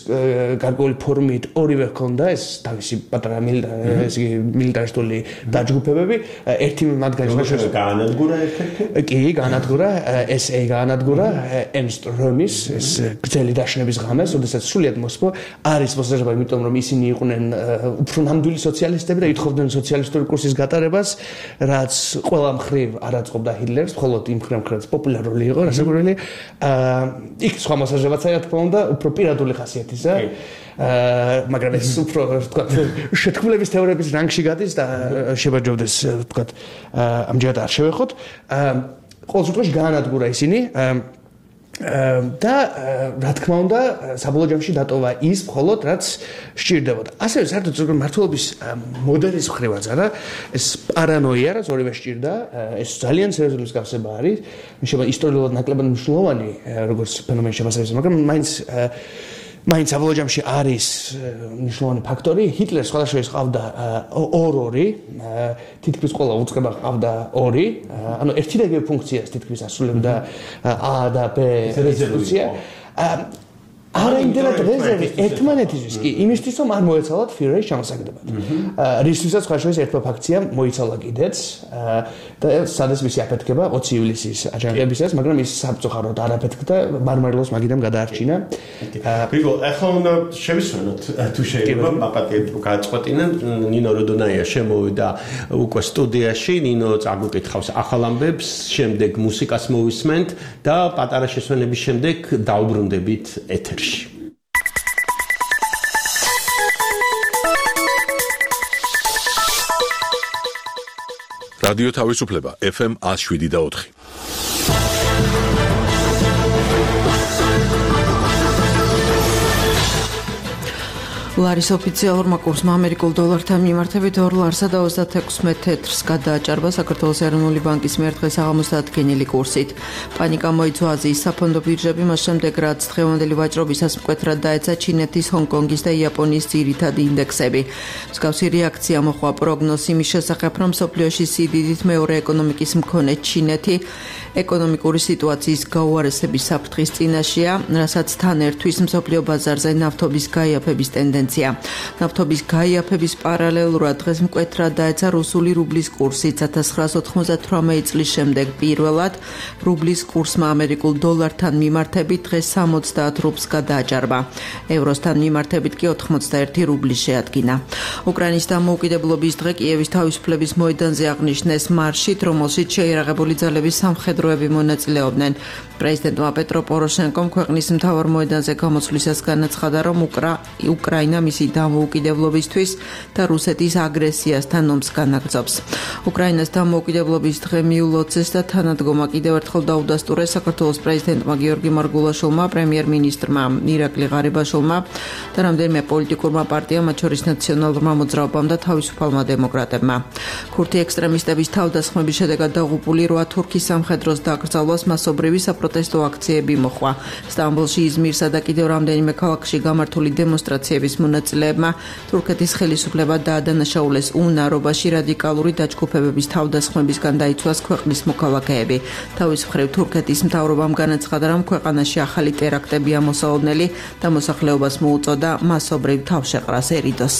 გარკვეული ფორმით ორივე ჰქონდა ეს თავისი პატარა ესე იგი მილიტარისტული დაჯგუფებები ერთი მათგანი სხვაშორის გაანადგურა ერთ-ერთი კი განადგურა SA განადგურა Ernst Röhmis ეს გრძელი დაშნების ღამეს, როდესაც სრულიად მოსპო არის მოსაზრება, იმიტომ რომ ისინი იყვნენ უფრო ნამდვილი სოციალისტები და ითხოვდნენ სოციალისტური კურსის გატარებას, რაც ყველა მხრივ არ აწყობდა ჰიტლერს, მხოლოდ იმ მხრივ პოპულარული იყო, რასაკვირველია. იქ სხვა მოსაზრებაც რა თქმა უნდა, უფრო პირადული ხასიათისა. მაგრამ ეს უფრო თქვა შეთქმულების თეორიების რანგში გადის და შევაჯობდეს თქვა ამჯერად არ შევეხოთ. ყოველ შემთხვევაში გაანადგურა ისინი და რა თქმა უნდა საბოლოო ჯამში დატოვა ის მხოლოდ რაც სჭირდებოდა. ასევე საერთოდ მმართველობის მოდელის მხრივაც არა ეს პარანოია რაც ორივე სჭირდა ეს ძალიან სერიოზული მსგავსება არის შეიძლება ისტორიულად ნაკლებად მნიშვნელოვანი როგორც ფენომენი შემოსავლის მაგრამ მაინც საბოლოო ჯამში არის მნიშვნელოვანი ფაქტორი ჰიტლერს სხვადასხვა ყავდა ორი თითქმის ყველა უწყება ყავდა ორი ანუ ერთი და იგივე ფუნქციას თითქმის ასრულებდა A და B რეზოლუცია არა იმდენად რეზერვი ერთმანეთისთვის კი იმისთვის რომ არ მოეცალათ ფიურერის ჩამოსაგდებად რისთვისაც ხაშურის ერთმა ფაქციამ მოიცალა კიდეც და სადაც მისი აფეთქება 20 ივლისის აჯანყებისას მაგრამ ის საბწუხაროდ არ აფეთქდა მარმარილოს მაგიდამ გადაარჩინა გრიგოლ ახლა უნდა შევისვენოთ თუ შეიძლება მაპატიეთ გააწყვეტინა ნინო როდონაია შემოვიდა უკვე სტუდიაში ნინო წაგვიკითხავს ახალ ამბებს შემდეგ მუსიკას მოვისმენთ და პატარა შესვენების შემდეგ დაუბრუნდებით ეთერში რადიო თავისუფლება FM 107.4 ლარის ოფიციალურმა კურსმა ამერიკულ დოლართან მიმართებით $2.36 გადააჭარბა საქართველოს ეროვნული ბანკის მიერ დღეს აღამოს დადგენილი კურსით. პანიკა მოიცვა აზიის საფონდო ბირჟები, მას შემდეგ რაც დღევანდელი ვაჭრობისას მკვეთრად დაეცა ჩინეთის, ჰონგ-კონგის და იაპონიის ძირითადი ინდექსები. მსგავსი რეაქცია მოჰყვა პროგნოზს იმის შესახებ, რომ მსოფლიოში სიდიდით მეორე ეკონომიკის მქონე ჩინეთი ეკონომიკური სიტუაციის გაუარესების საფრთხის წინაშეა, რასაც თან ერთვის მსოფლიო ბაზარზე ნავთობის გაიაფების ტენდენცია. ნავთობის გაიაფების პარალელურად დღეს მკვეთრად დაეცა რუსული რუბლის კურსი 1998 წლის შემდეგ პირველად რუბლის კურსმა ამერიკულ დოლართან მიმართებით დღეს 70 რუბლს გადააჭარბა. ევროსთან მიმართებით კი 81 რუბლი შეადგინა. უკრაინის დამოუკიდებლობის დღე კიევის თავისუფლების მოედანზე აღნიშნეს მარშით, რომელშიც შეიარაღებული ძალების სამხედროები მონაწილეობდნენ. პრეზიდენტმა პეტრო პოროშენკომ ქვეყნის მთავარ მოედანზე გამოსვლისას განაცხადა, რომ უკრაინა მისი დამოუკიდებლობისთვის და რუსეთის აგრესიასთან ომს განაგრძობს. უკრაინას დამოუკიდებლობის დღე მიულოცეს და თანადგომა კიდევ ერთხელ დაუდასტურეს საქართველოს პრეზიდენტმა გიორგი მარგულაშვილმა, პრემიერ-მინისტრმა ირაკლი ღარიბაშვილმა და რამდენიმე პოლიტიკურმა პარტიამ, მათ შორის ნაციონალურმა მოძრაობამ და თავისუფალმა დემოკრატებმა. ქურთი ექსტრემისტების თავდასხმების შედეგად დაღუპული 8 თურქის სამხედროს დაკრძალვას მასობრივი საპროტესტო აქციები მოჰყვა. სტამბოლში, იზმირსა და კიდევ რამდენიმე ქალაქში გამართული დემონსტრაციების მონაწილეებმა თურქეთის ხელისუფლება დაადანაშაულეს უნარობაში რადიკალური დაჯგუფებების თავდასხმებისგან დაიცვას ქვეყნის მოქალაქეები. თავის მხრივ თურქეთის მთავრობამ განაცხადა, რომ ქვეყანაში ახალი ტერაქტები ამოსაოდნელი და მოსახლეობას მოუწოდა მასობრივ თავშეყრას ერიდოს.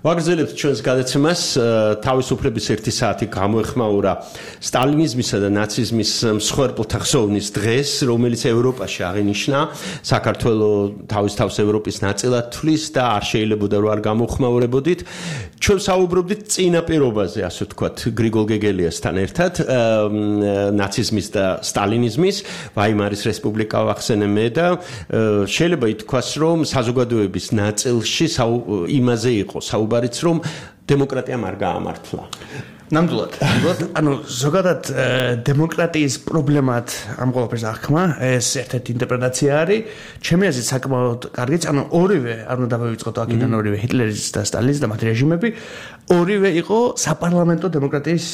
ვაგრძელებთ ჩვენს გადაცემას თავისუფლების 1 საათი გამოეხმაურა სტალინიზმისა და ნაციზმის მსხვერპლთა ხსოვნის დღეს, რომელიც ევროპაში აღინიშნა. საქართველოს თავის თავს ევროპის ნაწილად თვლის და არ შეიძლებოდა რომ არ გამოხმაურებოდით. ჩვენ საუბრობდით წინა პირობაზე, ასე ვთქვათ, გრიგოლ გეგელიასთან ერთად, ნაციზმის და სტალინიზმის, ვაიმარის რესპუბლიკა ვახსენე მე და შეიძლება ითქვას, რომ საზოგადოების ნაწილში იმაზე იყო საუბარიც, რომ დემოკრატიამ არ გაამართლა. ნამდვილად. ანუ ზოგადად დემოკრატიის პრობლემად ამ ყველაფერს აღქმა, ეს ერთ-ერთი ინტერპრეტაცია არის. ჩემი აზრით საკმაოდ კარგიც, ანუ ორივე არ უნდა დავივიწყოთ აქედან ორივე ჰიტლერის და სტალინის და მათი რეჟიმები, ორივე იყო საპარლამენტო დემოკრატიის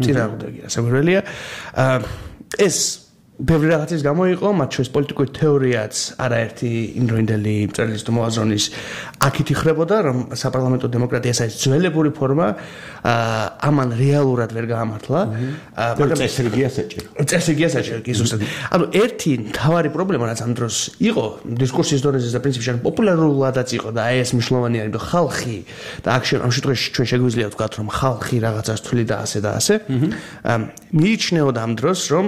წინააღმდეგი, საგვირველია. ეს ბევრი რაღაცის გამო იყო, მათ შორის პოლიტიკური თეორიაც არაერთი იმდროინდელი მწერლის თუ მოაზრონის აქით იხრებოდა, რომ საპარლამენტო დემოკრატია ეს ძველებური ფორმა ამან რეალურად ვერ გაამართლა. მაგრამ წესრიგია საჭირო. წესრიგია საჭირო, კი ზუსტად. ანუ ერთი მთავარი პრობლემა რაც ამ დროს იყო დისკურსის დონეზე და პრინციპში პოპულარულადაც იყო და აი ეს მნიშვნელოვანი არის, რომ ხალხი და აქ ამ შემთხვევაში ჩვენ შეგვიძლია ვთქვათ, რომ ხალხი რაღაცას თვლიდა და ასე და ასე. მიიჩნეოდა ამ დროს, რომ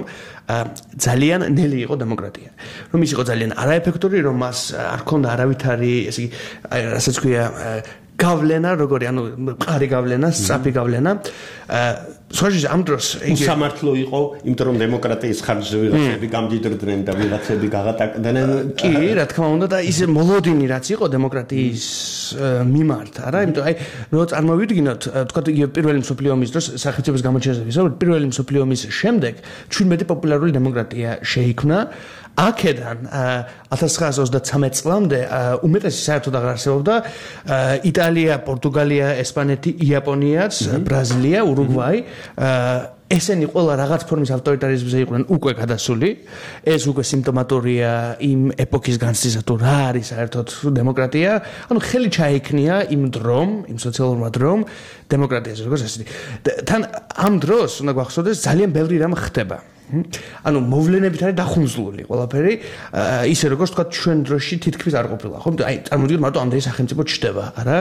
ძალიან ნელი იყო დემოკრატია. რომ ის იყო ძალიან არაეფექტური, რომ მას არ ქონდა არავითარი, ესე იგი, რასაც ქვია, გავლენა, როგორი, ანუ მყარი გავლენა, სწრაფი გავლენა. სოჟის ამ დროს სამართლო იყო, იმიტომ რომ დემოკრატიის ხარჯზე ვიღაცები გამდიდრდნენ და ვიღაცები გაღატაკდნენ. კი, რა თქმა უნდა და ის მოლოდინი რაც იყო დემოკრატიის მიმართ, არა, იმიტომ აი რო წარმოვიდგინოთ, თქვათ იგივე პირველი მსოფლიო ომის დროს სახელმწიფოს გამოჩენაზე ვისაუბრეთ, პირველი მსოფლიო ომის შემდეგ 17 პოპულარული დემოკრატია შეიქმნა. აქედან 1933 წლამდე უმეტესი საერთოდ აღარ არსებობდა იტალია, პორტუგალია, ესპანეთი, იაპონიაც, ბრაზილია, ურუგვაი ესენი ყველა რაღაც ფორმის ავტორიტარიზმზე იყვნენ უკვე გადასული. ეს უკვე სიმპტომატორია იმ ეპოქის განცდისა თუ რა არის საერთოდ დემოკრატია. ანუ ხელი ჩაიქნია იმ დრომ, იმ სოციალურმა დრომ დემოკრატიაზე, როგორც ასეთი. თან ამ დროს უნდა გვახსოვდეს ძალიან ბევრი რამ ხდება. ანუ მოვლენებით არის დახუნძლული ყველაფერი, ისე როგორც თქვა ჩვენ დროში თითქმის არ ყოფილა, ხო? აი წარმოვიდგინოთ მარტო ამდენი სახელმწიფო ჩდება, არა?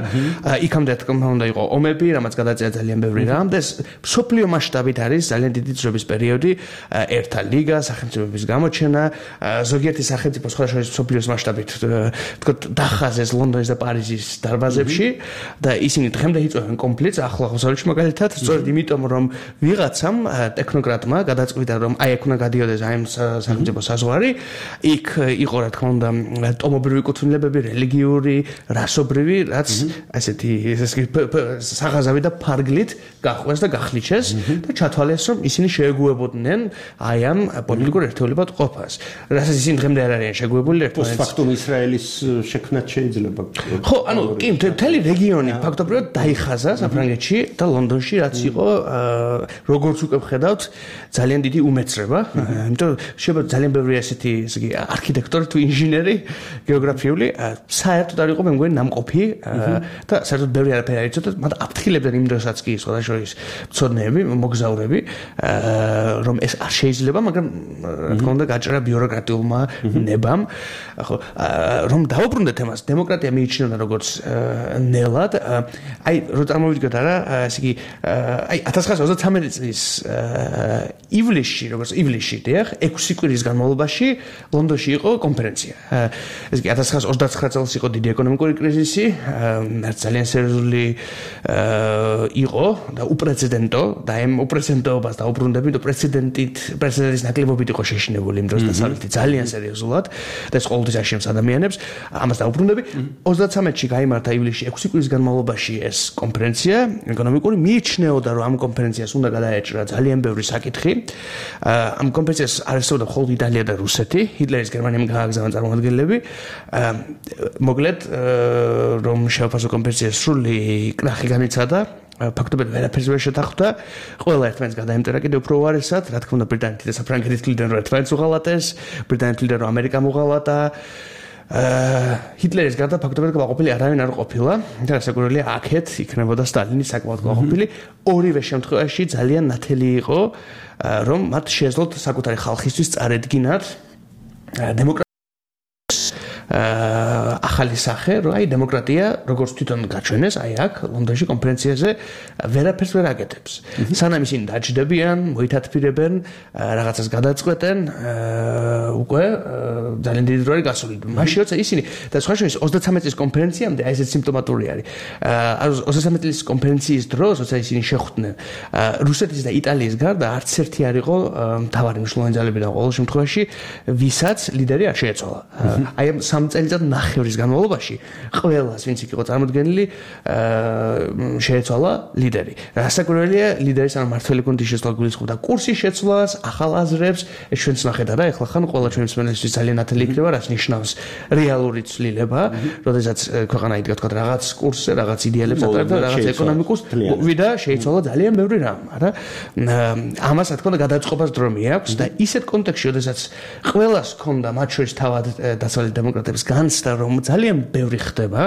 იქამდე თქმა უნდა იყო ომები, რამაც გადაწერა ძალიან ბევრი რამ და ეს მსოფლიო მასშტაბით არის ძალიან დიდი ძრების პერიოდი, ერთა ლიგა, სახელმწიფოების გამოჩენა, ზოგიერთი სახელმწიფო სხვა შორის მსოფლიოს მასშტაბით თქო დახაზეს ლონდონის და პარიზის დარბაზებში და ისინი დღემდე იწვევენ კონფლიქტს ახლო აღმოსავლეთში მაგალითად, სწორედ იმიტომ რომ ვიღაცამ ტექნოკრატმა გადაწყვიტა რომ აი აქ უნდა გადიოდეს აი ამ სახელმწიფო საზღვარი, იქ იყო რა თქმა უნდა ტომობრივი კუთვნილებები, რელიგიური, რასობრივი, რაც ასეთი საღაზავი და ფარგლით გაყვეს და გახლიჩეს და ჩათვალეს რომ ისინი შეეგუებოდნენ აი ამ პოლიტიკურ ერთეულებად ყოფას. რასაც ისინი დღემდე არ არიან შეგუებული ერთმანეთს. ფაქტობრივად ისრაელის შექმნაც შეიძლება. ხო, ანუ კი მთელი რეგიონი ფაქტობრივად დაიხაზა საფრანგეთში და ლონდონში, რაც იყო როგორც უკვე ვხედავთ ძალიან დიდი უმეცრება, იმიტომ შეიძლება ძალიან ბევრი ასეთი, ესე იგი, არქიტექტორი თუ ინჟინერი, გეოგრაფიული, საერთოდ არ იყო მე მგონი ნამყოფი და საერთოდ ბევრი არაფერი არ იცოდა, მაგრამ აფრთხილებდნენ იმ დროსაც კი სხვადასხვა მცოდნეები, მოგზაურები, რომ ეს არ შეიძლება, მაგრამ რა თქმა უნდა გაჭრა ბიუროკრატიულმა ნებამ, ხო, რომ დავუბრუნდეთ თემას, დემოკრატია მიიჩნეოდა როგორც ნელად, აი, რო წარმოვიდგინოთ არა, ესე იგი, აი 1933 წლის ივლისში, როგორც ივლისში, დიახ, 6 კვირის განმავლობაში ლონდონში იყო კონფერენცია. ეს კი 1929 წელს იყო დიდი ეკონომიკური კრიზისი, ძალიან სერიოზული იყო და უპრეცედენტო და ამ უპრეცედენტობას დაუბრუნდები და პრეცედენტის ნაკლებობით იყო შეშინებული იმ დროს დასავლეთი ძალიან სერიოზულად და ეს ყოველთვის აშენებს ადამიანებს, ამას დაუბრუნდები. 33-ში გაიმართა ივლისში 6 კვირის განმავლობაში ეს კონფერენცია ეკონომიკური, მიიჩნეოდა რომ ამ კონფერენციას უნდა გადაეჭრა ძალიან ბევრი საკითხი. ამ კონფერენციას არსებობდა მხოლოდ იტალია და რუსეთი, ჰიტლერის გერმანიამ გააგზავნა წარმომადგენლები. მოკლედ რომ შეაფასო კონფერენციას სრული კრახი განიცადა, ფაქტობრივად ვერაფერს ვერ შეთანხმდა, ყველა ერთმანეთს გადაემტერა კიდევ უფრო უარესად, რა თქმა უნდა ბრიტანეთი და საფრანგეთი თვლიდნენ რომ ერთმანეთს უღალატეს, ბრიტანეთი თვლიდა რომ ამერიკამ უღალატა. ჰიტლერის გარდა ფაქტობრივად კმაყოფილი არავინ არ ყოფილა და საკურველია აქეთ იქნებოდა სტალინი საკმაოდ კმაყოფილი. ორივე შემთხვევაში ძალიან ნათელი იყო რომ მათ შეეძლოთ საკუთარი ხალხისთვის წარედგინათ დემოკრატიის ახალი ახალი სახე, რომ აი დემოკრატია როგორც თვითონ გაჩვენეს, აი აქ ლონდონში კონფერენციაზე ვერაფერს ვერ აკეთებს. სანამ ისინი დაჯდებიან, მოითათფირებენ, რაღაცას გადაწყვეტენ, უკვე ძალიან დიდი დრო არის გასული. მაშინ როცა ისინი და სხვა შორის 33 წლის კონფერენციამდე აი ესეც სიმპტომატური არის. 33 წლის კონფერენციის დროს, როცა ისინი შეხვდნენ რუსეთის და იტალიის გარდა არც ერთი არ იყო მთავარი მნიშვნელოვანი ძალებიდან ყოველ შემთხვევაში, ვისაც ლიდერი არ შეეცვალა. აი ამ 3 წელიწად ნახევრის განმავლობაში ყველას ვინც იქ იყო წარმოდგენილი შეეცვალა ლიდერი. რასაკვირველია, ლიდერის ან მართველი გუნდის შეცვლა გულისხმობდა კურსის შეცვლას, ახალ აზრებს, ეს ჩვენც ნახეთ არა, ეხლა ხან ყველა ჩვენი მსმენელისთვის ძალიან ნათელი იქნება, რაც ნიშნავს რეალური ცვლილება, როდესაც ქვეყანა იდგა თქვა რაღაც კურსზე, რაღაც იდეალებს ატარებდა, რაღაც ეკონომიკურს ვიდა შეიცვალა ძალიან ბევრი რამ, არა? ამას რა თქმა უნდა გადაწყობას დრო მიაქვს და ისეთ კონტექსტში, როდესაც ყველას ჰქონდა მათ შორის თავად დასავლეთ დემოკრატებს განცდა, რომ ძალიან ბევრი ხდება,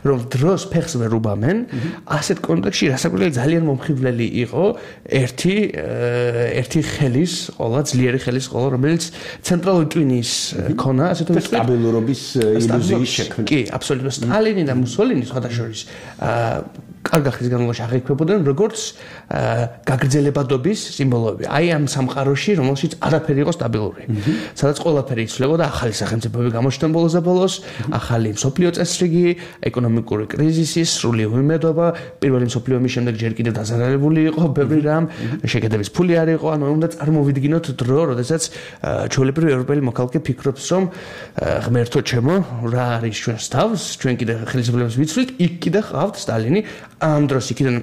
რომ დროს ფეხს ვერ უბამენ, ასეთ კონტექსტში რასაკვირველია ძალიან მომხიბვლელი იყო ერთი ხელის ყოლა, ძლიერი ხელის ყოლა, რომელიც ცენტრალური ტვინის ქონა, ასე თუ ვთქვით, სტაბილურობის ილუზიის შექმნა. კი, აბსოლუტურად. სტალინი და მუსოლინი სხვადასხვა კარგ ხნის განმავლობაში აღიქვებოდნენ როგორც გაგრძელებადობის სიმბოლოები. აი ამ სამყაროში, რომელშიც არაფერი იყო სტაბილური. სადაც ყველაფერი იცვლებოდა, ახალი სახელმწიფოები გამოჩნდნენ ბოლოს და ბოლოს, ახალი მსოფლიო წესრიგი, ეკონომიკური კრიზისი, სრული უიმედობა, პირველი მსოფლიო ომის შემდეგ ჯერ კიდევ დაზარალებული იყო ბევრი რამ, შეკედების ფული არ იყო, ანუ უნდა წარმოვიდგინოთ დრო, როდესაც ჩვეულებრივი ევროპელი მოქალაქე ფიქრობს, რომ ღმერთო ჩემო, რა არის ჩვენს თავს, ჩვენ კიდე ხელისუფლებას ვიცვლით, იქ კიდე ყავთ სტალინი. ამ დროს იქიდან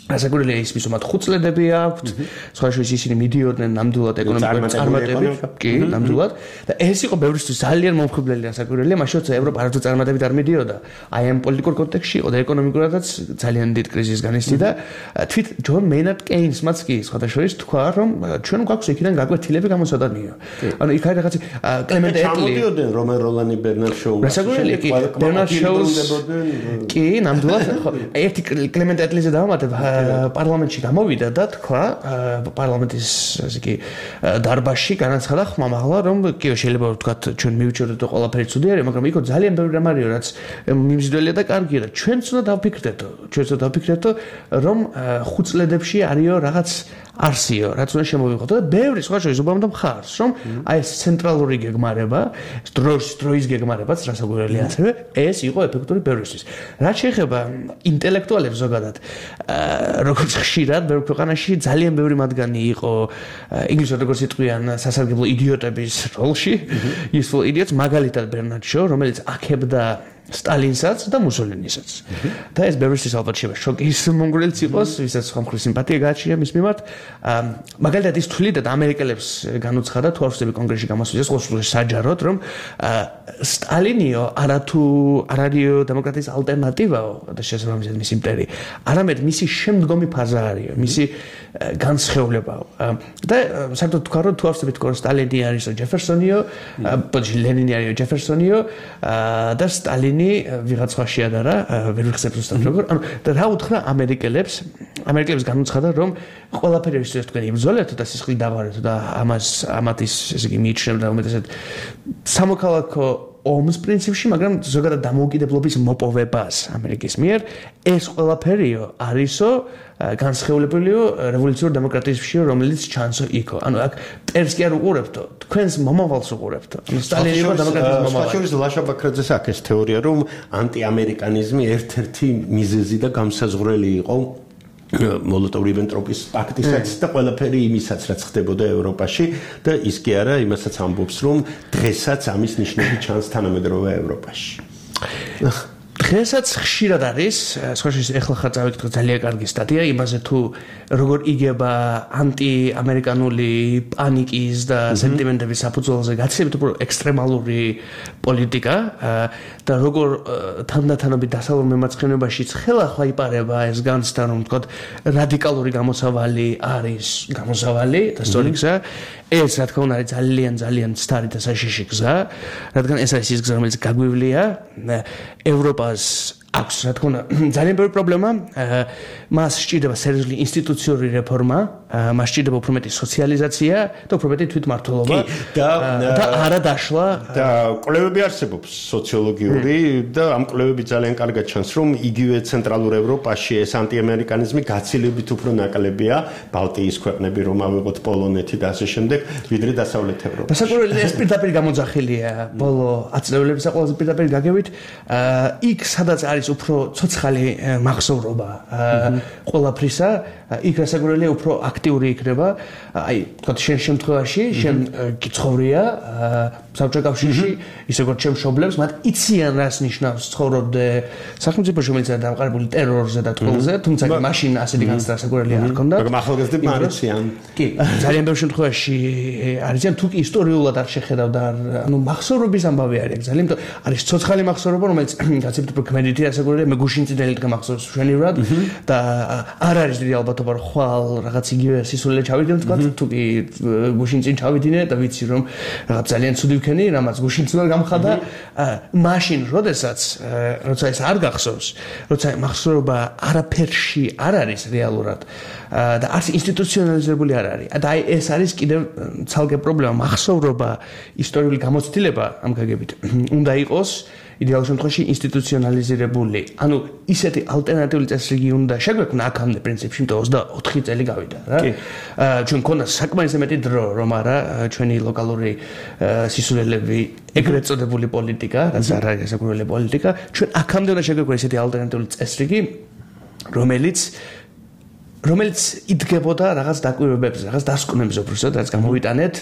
რასაკვირველია ის მისუმად 5 წლები აქვთ, სხვა შორის ისინი მიდიოდნენ ნამდვილად ეკონომიკური წარმატებით, კი, ნამდვილად და ეს იყო ბევრისთვის ძალიან მომხიბვლელი რასაკვირველია, მაშინ როცა ევროპა არასდროს წარმატებით არ მიდიოდა, აი ამ პოლიტიკურ კონტექსტში იყო და ეკონომიკურადაც ძალიან დიდ კრიზისს განიცდიდა და თვით ჯონ მეინარდ კეინსმაც კი სხვა შორის თქვა, რომ ჩვენ გვაქვს იქიდან გაკვეთილები გამოსადანიო. ანუ იქ არის რაღაცა კლემენტ ეტლი ჩამოდიოდნენ რომენ როლანი ბერნარდ შოუს. რასაკვირველია კი, ბერნარდ შოუს კი, ნამდვილად ხო, ერთი კლემენტ ეტლიზე დავამატებ პარლამენტში გამოვიდა და თქვა პარლამენტის ასე კი დარბაზში განაცხადა ხმამაღლა რომ კი შეიძლება ვთქვათ ჩვენ მივიჩვენოთ რომ ყველაფერი ცუდი არის მაგრამ იქ ძალიან ბევრი რამ არისო რაც მიმზიდველია და კარგია და ჩვენც უნდა დავფიქრდეთო რომ ხუწლედებში არისო რაღაც არსიო რაც უნდა შემოვიღოთ და ბევრი სხვა შორის უბამდა მხარს რომ აი ეს ცენტრალური გეგმარება დროის გეგმარებაც რასაკვირველია ასევე ეს იყო ეფექტური ბევრისთვის რაც შეეხება ინტელექტუალებს ზოგადად როგორც ხშირად ბევრ ქვეყანაში ძალიან ბევრი მათგანი იყო ინგლისურად როგორც იტყვიან სასარგებლო იდიოტების როლში useful idiots მაგალითად ბერნარდ შო რომელიც აქებდა სტალინსაც და მუსოლინისაც. და ეს ბევრისთვის ალბათ შეიძლება შოკის მონგრელიც იყოს, ვისაც სხვა მხრივ სიმპათია გააჩნია მის მიმართ. მაგალითად ის თვლიდა და ამერიკელებს განუცხადა თუ არ ვწდები კონგრესში გამოსვლას, ყოველთვის საჯაროდ, რომ სტალინიო არათუ არ არისო დემოკრატიის ალტერნატივაო და შესაბამისად მის იმპერია, არამედ მისი შემდგომი ფაზა არისო, მისი განსხეულებაო. და საერთოდ თქვა რომ თუ არ ვწდები თქო სტალინი არისო ჯეფერსონიო, ლენინი არისო ჯეფერსონიო და სტალინი ვიღაც სხვა შეადარა, ვერ ვიხსენებ ზუსტად როგორ. ანუ და რა უთხრა ამერიკელებს განუცხადა რომ ყველაფერი ის თქვენ იბრძოლეთ და სისხლი დავარეთ და ამათ ის ესე იგი მიიჩნევდა უმეტესად სამოქალაქო ომის პრინციპში, მაგრამ ზოგადად დამოუკიდებლობის მოპოვებას ამერიკის მიერ ეს ყველაფერიო არისო განსხეულებულიო რევოლუციურ დემოკრატიისში, რომელიც ჩანსო იქო. ანუ აქ ტერს კი არ უყურებთო, თქვენს მომავალს უყურებთო. ანუ სტალინი იყო დემოკრატიის მომავალი. შორის ლაშა ბაქრაძეს აქ ეს თეორია, რომ ანტიამერიკანიზმი ერთ-ერთი მიზეზი და გამსაზღვრელი იყო მოლოტოვ-რიბენტროპის პაქტისაც და ყველაფერი იმისაც რაც ხდებოდა ევროპაში და ის კი არა იმასაც ამბობს რომ დღესაც ამის ნიშნები ჩანს თანამედროვე ევროპაში. დღესაც ხშირად არის, სხვა შორის ეხლა ხარ წავიკითხე ძალიან კარგი სტატია იმაზე თუ როგორ იგება ანტიამერიკანული პანიკის და სენტიმენტების საფუძველზე გაცილებით უფრო ექსტრემალური პოლიტიკა და როგორ თანდათანობით დასავლურ მემარცხენეობაშიც ხელახლა იპარება ეს განცდა რომ ვთქვათ რადიკალური გამოსავალი არის გამოსავალი და სწორი გზა ეს რა თქმა უნდა არის ძალიან ცდარი და საშიში გზა რადგან ეს არის ის გზა რომელიც გაგვივლია ევროპას აქვს რა თქმა უნდა ძალიან ბევრი პრობლემა მას სჭირდება სერიოზული ინსტიტუციური რეფორმა მას სჭირდება უფრო მეტი სოციალიზაცია და უფრო მეტი თვითმმართველობა და არა დაშლა და კვლევები არსებობს სოციოლოგიური და ამ კვლევები ძალიან კარგად ჩანს რომ იგივე ცენტრალურ ევროპაში ეს ანტიამერიკანიზმი გაცილებით უფრო ნაკლებია ბალტიის ქვეყნები რომ ავიღოთ პოლონეთი და ასე შემდეგ ვიდრე დასავლეთ ევროპაში. დასაკვირველი ეს პირდაპირ გამოძახილია ბოლო 10 წლების ყველაზე პირდაპირ გაგებით იქ სადაც არის უფრო ცოცხალი მახსოვრობა ყველაფრისა იქ დასაკვირველია უფრო აქტიური იქნება აი თქვათ შენ შემთხვევაში შენ გიცხოვრია საბჭოთა კავშირში ისე როგორც ჩემ მშობლებს მათ იციან რას ნიშნავს ცხოვრობდე სახელმწიფოში რომელიც არის დამყარებული ტერორზე და ტყუილზე თუმცა მაშინ ასეთი განცდა დასაკვირველი არ ჰქონდა მაგრამ ახალგაზრდები არ იციან კი ძალიან ბევრ შემთხვევაში არიან თუ კი ისტორიულად არ შეხედავდა ანუ მახსოვრობის ამბავი არის ძალიან არის ცოცხალი მახსოვრობა რომელიც გაცილებით უფრო ქმედითი დასაკვირველია მე გუშინ წინელი დღე მახსოვს მშვენივრად და არ არის დიდი ალბათობა რომ ხვალ რაღაც იგივე სისულელე ჩავიდნენ თქვა თუ კი გუშინ წინ ჩავიდინე და ვიცი რომ რაღაც ძალიან ცუდი ვქენი რამაც გუშინ ცუდად გამხადა მაშინ როდესაც როცა ეს არ გახსოვს როცა მახსოვრობა არაფერში არ არის რეალურად და არც ინსტიტუციონალიზებული არ არის და აი ეს არის კიდევ ცალკე პრობლემა მახსოვრობა ისტორიული გამოცდილება ამ გაგებით უნდა იყოს იდეალურ შემთხვევაში ინსტიტუციონალიზირებული. ანუ ისეთი ალტერნატიული წესრიგი უნდა შეგვექმნა აქამდე პრინციპში, იმიტომ 24 წელი გავიდა რა. ჩვენ ქონდა საკმარისი მეტი დრო, რომ არა ჩვენი ლოკალური სისულელები ეგრეთ წოდებული პოლიტიკა, რაც არ არის საკურველი პოლიტიკა, ჩვენ აქამდე უნდა შეგვექმნა ისეთი ალტერნატიული წესრიგი, რომელიც იდგებოდა რაღაც დაკვირვებებზე, რაღაც დასკვნებზე უბრალოდ, რაც გამოვიტანეთ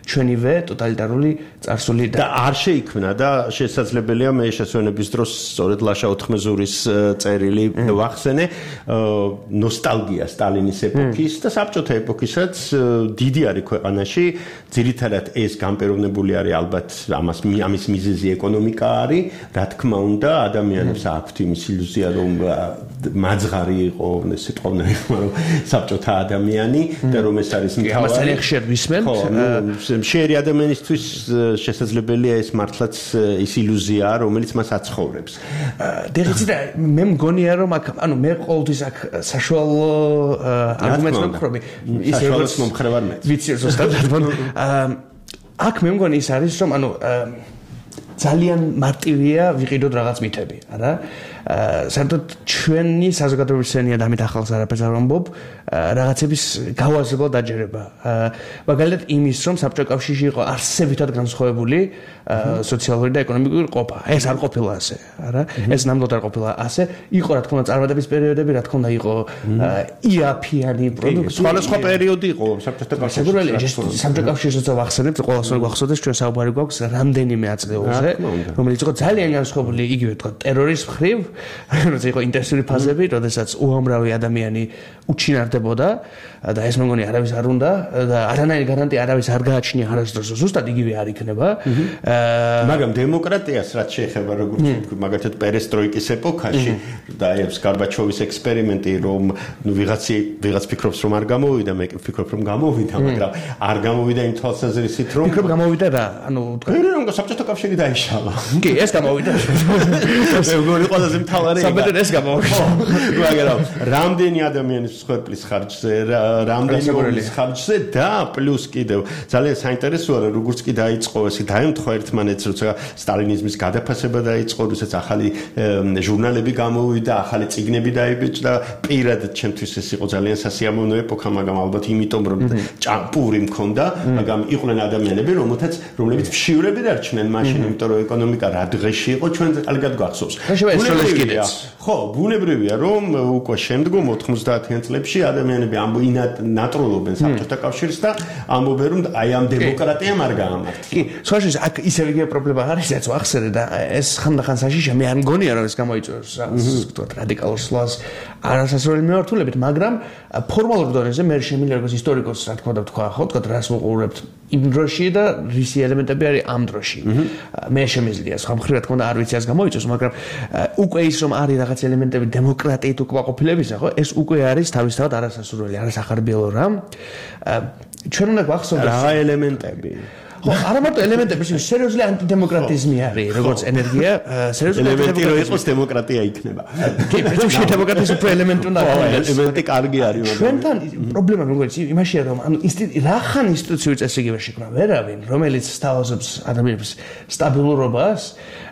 ჩვენივე ტოტალიტარული წარსული და არ შეიქმნა და შესაძლებელია მე შესვენების დროს სწორედ ლაშა ოთხმეზურის წერილი ვახსენე ნოსტალგია სტალინის ეპოქის და საბჭოთა ეპოქისაც დიდი არის ქვეყანაში ძირითადად ეს გამპეროვნებული არის ალბათ ამის მიზეზი ეკონომიკა არის რა თქმა უნდა ადამიანებს აქვთ იმის ილუზია რომ მაძღარი იყო სიტყვა უნდა იხმარო რომ საბჭოთა ადამიანი და რომ ეს არის მთავარი ამას ძალიან ხშირ ვისმენთ შეერი ადამიანისთვის შესაძლებელია ეს მართლაც ის ილუზია რომელიც მას აცხოვრებს. დეღიცი მე მგონია რომ ანუ მე ყოველთვის აქ საშუალო არგუმენტს ვქრობი ის როგორც მომხრე ვარ მე. ვიცი ზუსტად აქ მე მგონი ის არის რომ ანუ ძალიან მარტივია ვიყიდოთ რაღაც მითები, არა? საერთოდ ჩვენი საზოგადოების სცენია და ამით ახალს არაფერს არ ვამბობ, რაღაცების გავაზრება დაჯერება. მაგალითად იმის რომ საბჭოთა კავშირში იყო არსებითად განსხვავებული სოციალური და ეკონომიკური ყოფა. ეს არ ყოფილა ასე, არა? ეს ნამდვილად არ ყოფილა ასე. იყო რა თქმა უნდა წარმატების პერიოდები, რა თქმა უნდა იყო იაფიანი პროდუქტი. სხვადასხვა პერიოდი იყო საბჭოთა კავშირში. საბჭოთა კავშირში როცა ვახსენებთ, ყველას უნდა გვახსოვდეს ჩვენ საუბარი გვაქვს რამდენიმე აწლეულზე, რომელიც იყო ძალიან განსხვავებული იგივე თქვა ტერორის მხრივ, როცა იყო ინტენსიური ფაზები, როდესაც უამრავი ადამიანი უჩინარდებოდა და ეს მეგონი არავის არ უნდა და არანაირი გარანტია არავის არ გააჩნია არასდროს ზუსტად იგივე არ იქნება. მაგრამ დემოკრატიას რაც შეეხება როგორც მაგალითად პერესტროიკის ეპოქაში და ეს გარბაჩოვის ექსპერიმენტი რომ ნუ ვიღაც ფიქრობს რომ არ გამოვიდა, მე ვფიქრობ რომ გამოვიდა, მაგრამ არ გამოვიდა იმ თვალსაზრისით რომ ფიქრობ გამოვიდა რა, ანუ რომ საბჭოთა კავშირი დაიშალა. კი, ეს გამოვიდა. მე მგონი ყველაზე მთავარი საბედად ეს გამოვიდა. მაგრამ რამდენი ადამიანის მსხვერპლის ხარჯზე, რამდენი ომის ხარჯზე და პლუს კიდევ ძალიან საინტერესოა რომ როგორც კი დაიწყო ესე დაემთხვა ერთმანეთს როცა სტალინიზმის გადაფასება დაიწყო, როდესაც ახალი ჟურნალები გამოვიდა, ახალი წიგნები დაიბეჭდა, პირადად ჩემთვის ეს იყო ძალიან სასიამოვნო ეპოქა, მაგრამ ალბათ იმიტომ რომ ჭამპური მქონდა, მაგრამ იყვნენ ადამიანები, რომლებიც მშივრები დარჩნენ მაშინ, იმიტომ რომ ეკონომიკა რა დღეში იყო, ჩვენ კარგად გვახსოვს. ხო, ბუნებრივია რომ უკვე შემდგომ 90-იან წლებში ადამიანები ნატროლობენ საბჭოთა კავშირს და ამბობენ რომ აი ამ დემოკრატიამ არ გაამართლა. კი, სხვა შეს აქ ისევ იგივე პრობლემა არის, რაც ვახსენე და ეს ხანდახან საშიშია, მე არ მგონია რომ ეს გამოიწვევს თქვათ რადიკალურ სვლას არასასროლი მიმართულებით, მაგრამ ფორმალურ დონეზე მე შემიძლია როგორც ისტორიკოსს რა თქმა უნდა ვთქვა, ხო, თქვათ რას ვუყურებთ იმ დროში და რისი ელემენტები არის ამ დროში. მე შემიძლია სხვა მხრივ რა თქმა უნდა არ ვიცი ას გამოიწვევს, მაგრამ უკვე ის რომ არის რაღაც ელემენტები დემოკრატიით უკმაყოფილებისა, ხო, ეს უკვე არის თავისთავად არასასურველი, არასახარბიელო რამ. ჩვენ უნდა გვახსოვდეს რა ელემენტები. ხო, არა მარტო ელემენტები, სერიოზული ანტიდემოკრატიზმი არის, როგორც ენერგია, სერიოზული ელემენტი რო იყოს დემოკრატია იქნება. კი, პრინციპში დემოკრატიის უფრო ელემენტი უნდა იყოს. ელემენტი კარგი არის, მაგრამ ჩვენთან პრობლემა როგორც იმაშია, რომ ანუ რახან ინსტიტუციური წესრიგება შექმნა ვერავინ, რომელიც სთავაზობს ადამიანების სტაბილურობას,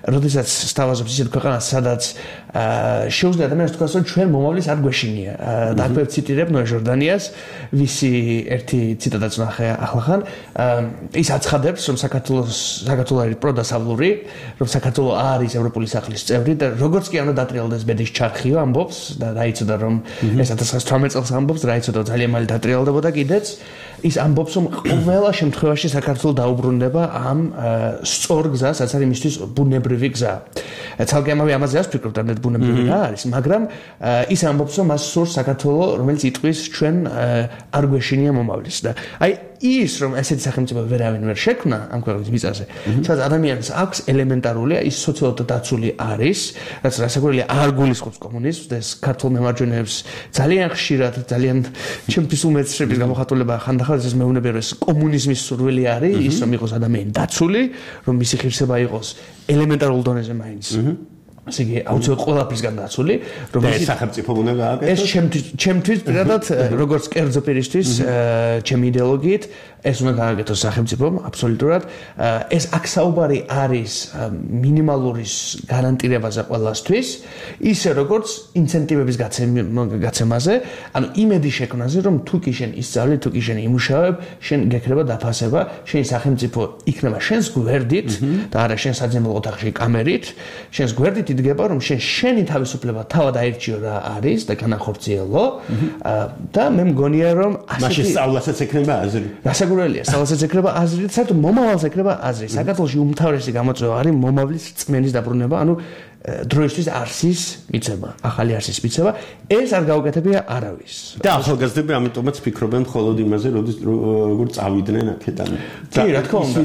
როდესაც სთავაზობს ისეთ ქვეყანას, სადაც შეუძლია ადამიანს თქვას, რომ ჩვენ მომავლის არ გვეშინია. და აქვე ვციტირებ ნოე ჟორდანიას, ვისი ერთი ციტატაც ვნახე ახლახან, ის აცხადებს, რომ საქართველო არის პროდასავლური, რომ საქართველო არის ევროპული სახლის წევრი და როგორც კი უნდა დატრიალდეს ბედის ჩარხიო ამბობს და რაიცოდა რომ ეს 1918 წელს ამბობს, რაიცოდა ძალიან მალე დატრიალდებოდა კიდეც, ის ამბობს, რომ ყველა შემთხვევაში საქართველო დაუბრუნდება ამ სწორ გზას, რაც არის მისთვის ბუნებრივი გზა. ცალკე ამაზე არ ვფიქრობ, რომ ბუნებრივი რა არის, მაგრამ ის ამბობს, რომ მას სურს საქართველო, რომელიც იტყვის ჩვენ არ გვეშინია მომავლის და აი ის რომ ესეთი სახელმწიფო ვერავინ ვერ შექმნა ამ ქვეყნის მიწაზე, სადაც ადამიანს აქვს ელემენტარული, ის სოციალურად დაცული არის, რაც რასაკვირველია არ გულისხმობს კომუნიზმს და ეს ქართულ მემარჯვენეებს ძალიან ხშირად, ძალიან ჩემთვის უმეცრების გამოხატულება ხანდახან ეს მეუბნება რომ ეს კომუნიზმის სურვილი არის, ის რომ იყოს ადამიანი დაცული, რომ მისი ღირსება იყოს ელემენტარულ დონეზე მაინც. ასე იგი აუცილებლად ყველაფრისგან დაცული, რომ ეს სახელმწიფო უნდა გააკეთოს. ეს ჩემთვის პირადად როგორც კერძო პირისთვის, ჩემი იდეოლოგიით ეს უნდა გააკეთოს სახელმწიფომ აბსოლუტურად. ეს აქ საუბარი არის მინიმალურის გარანტირებაზე ყველასთვის, ისე როგორც ინცენტივების გაცემაზე, ანუ იმედი შექმნაზე, რომ თუ კი შენ ისწავლე, თუ კი შენ იმუშავებ, შენ გექნება დაფასება, შენი სახელმწიფო იქნება შენს გვერდით და არა შენ საძემლო ოთახში კამერით, შენს გვერდით იდგება, რომ შენი თავისუფლება თავად აირჩიო რა არის და განახორციელო და მე მგონია რომ მაშინ სწავლასაც ექნება აზრი. რასაკვირველია, სწავლასაც ექნება აზრი და საერთოდ მომავალს ექნება აზრი. საქართველოში უმთავრესი გამოწვევა არის მომავლის რწმენის დაბრუნება, ანუ დროისთვის არსის მიცემა, ახალი არსის მიცემა, ეს არ გაუკეთებია არავის. და ახალგაზრდები ამიტომაც ფიქრობენ მხოლოდ იმაზე, როგორ წავიდნენ აქედან. კი, რა თქმა უნდა,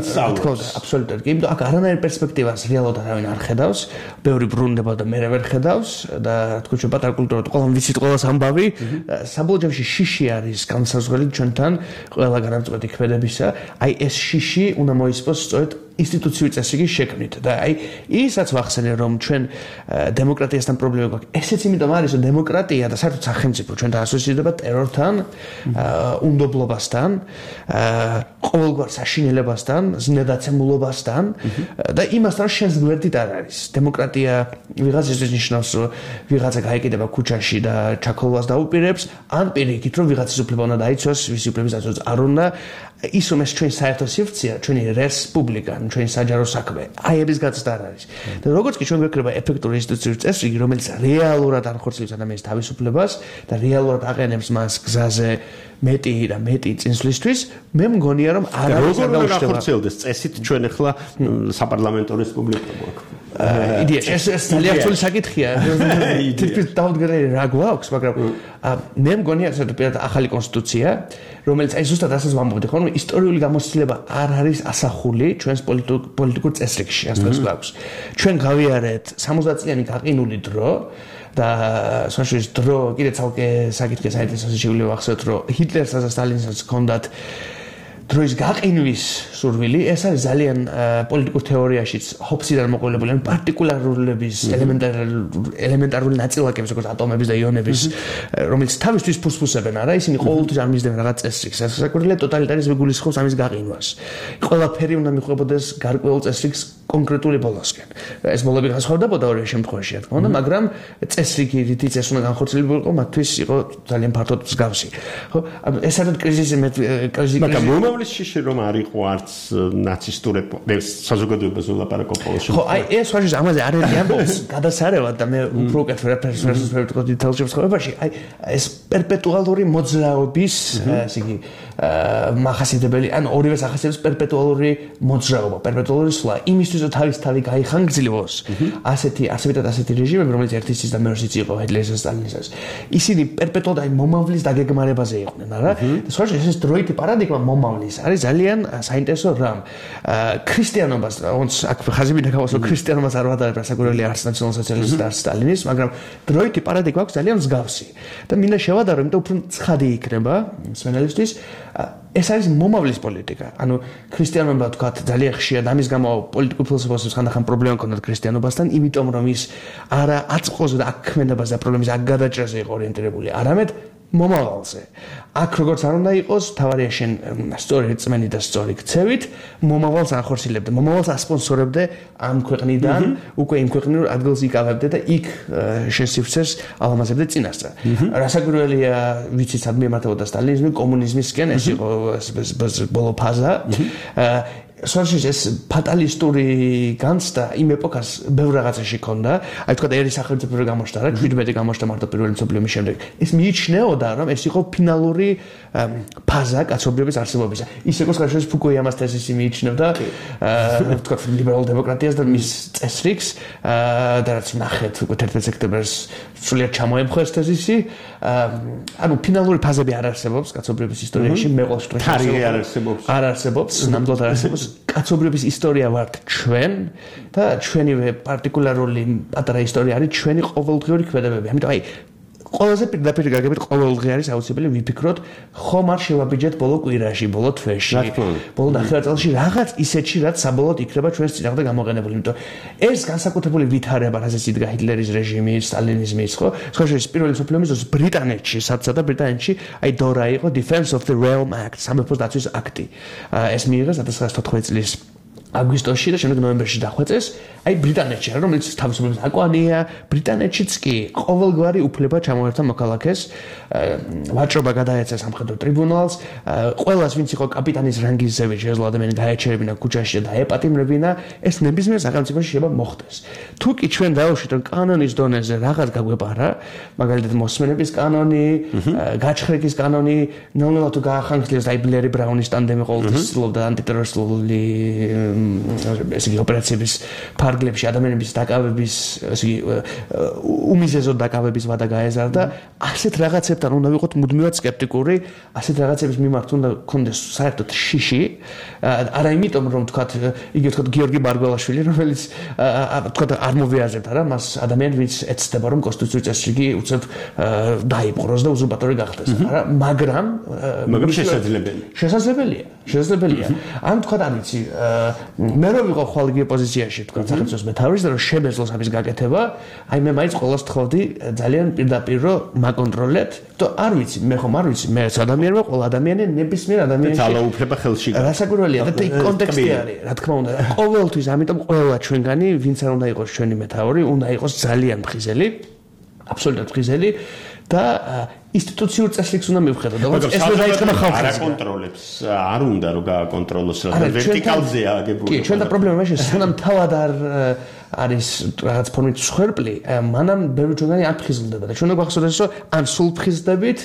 აბსოლუტურად. კი, იმიტომ აქ არანაირ პერსპექტივას რეალურად არავინ არ ხედავს, ბევრი ბრუნდება და მე ვერ ხედავს და რა თქმა უნდა, პატარა კულტურა ყველამ ვიცით ყველას ამბავი, საბოლოო ჯამში შიში არის განსაზღვრელი ჩვენთან ყველა განამწყვეტი ქმედებისა. აი ეს შიში უნდა მოისპოს სწორედ ინსტიტუციური წესრიგის შექმნით და აი ისაც ვახსენე რომ ჩვენ დემოკრატიასთან პრობლემა გვაქვს. ესეც იმიტომ არის რომ დემოკრატია და საერთოდ სახელმწიფო ჩვენთან ასოცირდება ტერორთან, უნდობლობასთან, ყოველგვარ საშინელებასთან, ზნედაცემულობასთან და იმასთან რომ შენს გვერდით არ არის. დემოკრატია ვიღაცისთვის ნიშნავს რომ ვიღაცა გაეკიდება ქუჩაში და ჩაქოლვას დაუპირებს, ან პირიქით რომ ვიღაცის უფლება უნდა დაიცვას, ვისი უფლების დაცვაც არ უნდა. ის რომ ეს ჩვენი საერთო სივრცეა, ჩვენი რესპუბლიკა, ჩვენი საჯარო საქმე, აი ების გაცდა არ არის. და როგორც კი ჩვენ გვექნება ეფექტური ინსტიტუციური წესრიგი, რომელიც რეალურად ანხორციელებს ადამიანის თავისუფლებას და რეალურად აყენებს მას გზაზე მეტი და მეტი წინსვლისთვის, მე მგონია რომ არ არის როგორ განხორციელდეს წესით ჩვენ ახლა საპარლამენტო რესპუბლიკა გვაქვს. იდეაში ეს ძალიან რთული საკითხია. თითქმის დაუდგენელი რა გვაქვს, მაგრამ მე მგონია საერთოდ პირადად ახალი კონსტიტუცია, რომელიც აი ზუსტად ასეც ვამბობდი, ხო, რომ ისტორიული გამოცდილება არ არის ასახული ჩვენს პოლიტიკურ წესრიგში, ასე გვაქვს. ჩვენ გავიარეთ 60 წლიანი გაყინული დრო და საშუალო დრო კიდე ცალკე საკითხი საინტერესო შეგვიძლია ვახსენოთ, რომ ჰიტლერსაც და სტალინსაც ჰქონდათ დროის გაყინვის სურვილი, ეს არის ძალიან პოლიტიკურ თეორიაშიც ჰობსიდან მოყოლებული, ან პარტიკულარულების ელემენტარული ნაწილაკების, როგორც ატომების და იონების, რომელიც თავისთვის ფუსფუსებენ, არა, ისინი ყოველთვის არ მისდევენ რაღაც წესრიგს. ეს საკუთრებია ტოტალიტარიზმი გულისხმობს ამის გაყინვას. ყველაფერი უნდა მიხვდებოდეს გარკვეულ წესრიგს კონკრეტული ბოლოსკენ. ეს ბოლოები განსხვავდებოდა ორივე შემთხვევაში, რა თქმა უნდა, მაგრამ წესრიგი რითიც ეს უნდა განხორციელებული იყო, მათთვის იყო ძალიან ფართოდ მსგავსი. ხო, ეს არის კრიზისი, მაგრამ მომავლის შიში რომ არ იყო არც ნაცისტური საზოგადოებას ვლაპარაკობ პოლოში. ხო, აი ეს ვაშის ამაზე არ არის ამბობს, გადასარევად და მე უფრო უკეთ ვერაფერს ვერ ვთქვა დეტალში ცხოვრებაში, აი ეს პერპეტუალური მოძრაობის, ასე იგი, მახასიათებელი, ან ორივე სახასიათებს პერპეტუალური მოძრაობა, პერპეტუალური სვლა, იმისთვის რომ თავი გაიხანგრძლივოს, ასეთი რეჟიმები, რომელიც ერთისთვის და მეორესაც იყო ჰიტლერის და სტალინისას. ისინი პერპეტუალურად აი მომავლის დაგეგმარებაზე იყვნენ, არა? და სხვა ეს დროითი პარადიგმა მომავლის არის ძალიან საინტერესო რამ. ქრისტიანობას,ոնც აქ ხაზები დაგავასო, ქრისტიანობას არ ვადარებ, საკურველი არც ნაციონალ-სოციალისტი და არც სტალინის, მაგრამ დროითი პარადიგმა აქვს ძალიან მსგავსი. და მინდა შევადარო, იმიტომ უფრო ცხადი იქნება მსმენელისთვის. ეს არის მომავლის პოლიტიკა. ანუ ქრისტიანობა თქვათ ძალიან ხშირად ამის გამო პოლიტიკურ ფილოსოფიას ხანდახან პრობლემა ჰქონდათ ქრისტიანობასთან, იმიტომ რომ ის არა აწყოზე და აქმედებას და პრობლემის აქ გადაჭრაზე იყო ორიენტირებული, არამედ მომავალზე. აქ როგორც არ უნდა იყოს, თავარია შენ სწორი რწმენი და სწორი ქცევით, მომავალს ახორციელებდე, მომავალს ასპონსორებდე ამ ქვეყნიდან, უკვე იმ ქვეყნიდან ადგილს იკავებდე და იქ შენ სივრცეს ალამაზებდე წინასწარ. რასაკვირველია, ვიცით, სად მიემართებოდა სტალინიზმი, კომუნიზმისკენ, ეს იყო ბოლო ფაზა. სოციალიზმის ეს ფატალისტური განცდა იმ ეპოქას ბევრ რაღაცაში ქონდა. აი თქვა ერის სახელმწიფო გამოჩნდა რა, 17 გამოჩნდა მარტო პირველი მსოფლიო ომის შემდეგ. ეს მიიჩნეოდა, რომ ეს იყო ფინალური ფაზა კაცობრიობის არსებობისა. ისე როგორც ხაშეს ფუკუიამას თეზისი მიიჩნევდა, თქვა ლიბერალ დემოკრატიას და მის წესრიგს და რაც ნახეთ უკვე 11 სექტემბერს სულიერ ჩამოემხეს თეზისი. ანუ ფინალური ფაზები არ არსებობს კაცობრიობის ისტორიაში, მე ყოველ შემთხვევაში თარიღი არ არსებობს. არ არსებობს, ნამდვილად არ არსებობს. კაცობრიობის ისტორია ვართ ჩვენ და ჩვენივე პარტიკულარული პატარა ისტორია არის ჩვენი ყოველდღიური ქმედებები. ამიტომ აი ყველაზე პირდაპირ გაგებით ყოველდღე არის აუცილებელი ვიფიქროთ, ხომ არ შევაბიჯეთ ბოლო კვირაში, ბოლო თვეში, ბოლო ნახევარ წელში რაღაც ისეთში, რაც საბოლოოდ იქნება ჩვენს წინააღმდეგ გამოყენებული. იმიტომ ეს განსაკუთრებული ვითარება, რასაც იდგა ჰიტლერის რეჟიმის, სტალინიზმის, ხო? სხვაშორის პირველი მსოფლიო ომის დროს ბრიტანეთში, საცადა ბრიტანეთში, აი დორა იყო Defense of the Realm Act, სამეფოს დაცვის აქტი. ეს მიიღეს 1914 წლის აგვისტოში და შემდეგ ნოემბერში დახვეწეს. აი ბრიტანეთში, რომელიც თავისუფლების აკვანია, ბრიტანეთშიც კი ყოველგვარი უფლება ჩამოერთვა მოქალაქეს, ვაჭრობა გადაეცა სამხედრო ტრიბუნალს, ყველას ვინც იყო კაპიტანის რანგის ზევით შეეძლო ადამიანი გაეჩერებინა ქუჩაში და დაეპატიმრებინა, ეს ნებისმიერ სახელმწიფოში შეიძლება მოხდეს. თუ კი ჩვენ დავუშვით რომ კანონის დონეზე რაღაც გაგვეპარა, მაგალითად მოსმენების კანონი, გაჩხრიკის კანონი, ნელ-ნელა თუ გაახანგრძლივეს აი ბლერი ბრაუნის ტანდემი ყოველთვის ცდილობდა ანტიტერორისტული ესე იგი ოპერაციების ფარგლებში ადამიანების დაკავების ესე იგი უმიზეზო დაკავების ვადა გაეზარდა. ასეთ რაღაცებთან უნდა ვიყოთ მუდმივად სკეპტიკური, ასეთ რაღაცების მიმართ უნდა გქონდეს საერთოდ შიში. არა იმიტომ რომ თქვათ იგი თქვათ გიორგი ბარგველაშვილი, რომელიც თქვათ არ მოვიაზრებთ არა მას ადამიანი ვინც ეცდება რომ კონსტიტუციური წესრიგი უცებ დაიპყროს და უზურპატორი გახდეს. არა, მაგრამ შესაძლებელია. ან თქვათ არ ვიცი მე რო ვიყო ხვალ იგივე პოზიციაში თქვა სახელმწიფოს მეთაურის და რომ შემეძლოს ამის გაკეთება, აი მე მაინც ყოველს თხოვდი ძალიან პირდაპირ რომ მაკონტროლეთ, და არ ვიცი, მე ხომ არ ვიცი, მე ადამიანმა ყოველ ადამიანი ნებისმიერ ადამიანში ძალაუფლება ხელში გაქვს. რასაკვირველია და კონტექსტი არის, რა თქმა უნდა, ყოველთვის, ამიტომ ყველა ჩვენგანი, ვინც არ უნდა იყოს ჩვენი მეთაური, უნდა იყოს ძალიან მხიზელი, აბსოლუტურად მხიზელი და ინსტიტუციურ წესრიგს უნდა მივხედოთ. ეს ვერ დაიწყება ხალხს. არ აკონტროლებს, არ უნდა რომ გააკონტროლოს, რა ვერტიკალზეა აგებული. კი, ჩვენ და პრობლემა მაშინ სანამ თავად არ არის რაღაც ფორმით სხერპლი, მანამ ბევრი ჩვენი არ ფხიზლდება და ჩვენ გვახსოვდეს რომ ან სულ ფხიზდებით,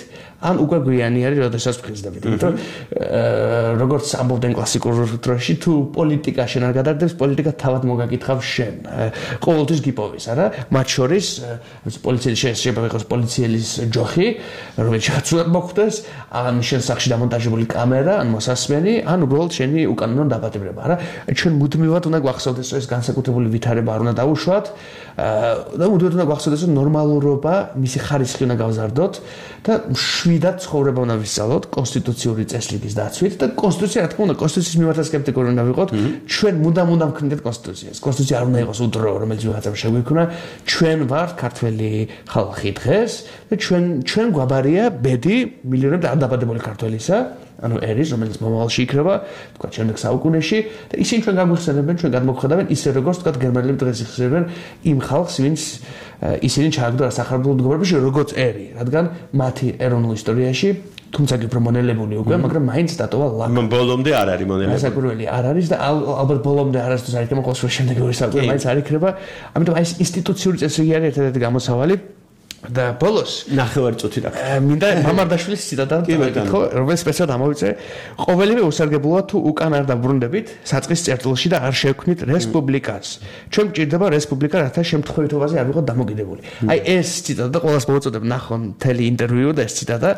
ან უკვე გვიანი არის, როდესაც ფხიზდებით. იმიტომ როგორც ამბობდნენ კლასიკურ დროში, თუ პოლიტიკა შენ არ გადარდებს, პოლიტიკა თავად მოგაკითხავს შენ. ყოველთვის გიპოვის, არა? მათ შორის პოლიციელი შეიძლება იყოს პოლიციელის ჯოხი, რომელიც შეცვლად მოხდეს, ან შენ სახში დამონტაჟებული კამერა, ან მოსასმენი, ან უბრალოდ შენი უკანონო დაპატიმრება, არა? ჩვენ მუდმივად უნდა გვახსოვდეს, რომ ეს განსაკუთრებული ვითარება არ უნდა დაუშვათ და მუდმივად უნდა გვახსოვდეს, რომ ნორმალურობა, მისი ხარისხი უნდა გავზარდოთ და შვიდად ცხოვრება უნდა ვისწავლოთ კონსტიტუციური წესრიგის დაცვით და კონსტიტუცია, რა თქმა უნდა, კონსტიტუციის მიმართ სკეპტიკური უნდა ვიყოთ. ჩვენ მუდამ ვქნით კონსტიტუციას. კონსტიტუცია არ უნდა იყოს უდრო, რომელიც ვიღაცამ შეგვიქმნა. ჩვენ ვართ ქართველი ხალხი დღეს და ჩვენ გვაბარია ბედი მილიონები არ დაბადებული ქართველისა, ანუ ერის, რომელიც მომავალში იქნება, თქვა შემდეგ საუკუნეში და ისინი ჩვენ გაგვიხსენებენ, ჩვენ გადმოგხედავენ ისე როგორც თქვა გერმანელები დღეს იხსენებენ იმ ხალხს, ვინც ისინი ჩააგდო სახარებულ მდგომარეობაში, როგორც ერი, რადგან მათი ეროვნულ ისტორიაში თუმცა კი პრომონელებული უკვე, მაგრამ მაინც დატოვა ლაკა. ბოლომდე არ არის მონელებული. ასაკურველი არ არის და ალბათ ბოლომდე არასდროს არ იქნება ყოველ შემდეგი ორი საუკუნე მაინც არ იქნება. ამიტომ აი ეს ინსტიტუციური წესრიგი არის ერთ-ერთი გამოსავალი. და ბოლოს ნახევარი წუთი რა. მინდა მამარდაშვილის ციტატა გითხო, რომელიც სპეციალად ამოვიწერე. ყოველივე უსარგებლოა თუ უკან არ დაბრუნდებით საწყის წერტილში და არ შევქმნით რესპუბლიკას. ჩვენ გვჭირდება რესპუბლიკა, რათა შემთხვევითობაზე არ ვიყოთ დამოკიდებული. აი ეს ციტატა და ყოველას მოვაწოდებ ნახონ მთელი ინტერვიუ და ეს ციტატა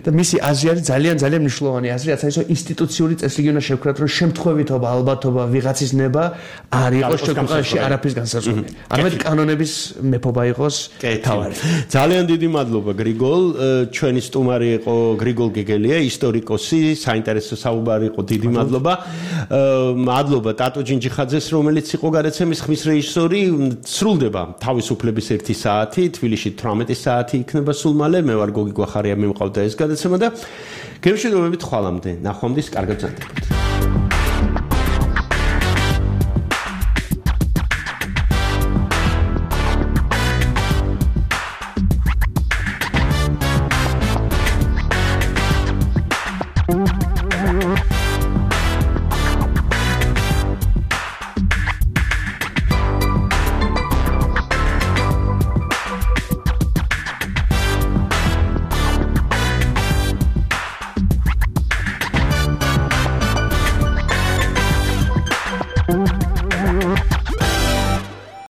და მისი აზრი არის ძალიან მნიშვნელოვანი აზრი, რაც არის რომ ინსტიტუციური წესრიგი უნდა შევქმნათ, რომ შემთხვევითობა, ალბათობა, ვიღაცის ნება არ იყოს ჩვენში არაფრის განსაზღვრელი. არამედ კანონების მეფობა იყოს თავარი. ძალიან დიდი მადლობა გრიგოლ, ჩვენი სტუმარი იყო გრიგოლ გეგელია, ისტორიკოსი, საინტერესო საუბარი იყო, დიდი მადლობა. მადლობა ტატო ჯინჯიხაძეს, რომელიც იყო გადაცემის ხმის რეჟისორი. სრულდება თავისუფლების 1 საათი, თბილისში 18 საათი იქნება სულ მალე. მე ვარ გოგი გვახარია, მე მყავდა ეს გადაცემა და გემშვიდობებით ხვალამდე. ნახვამდის, კარგად ზარდებით.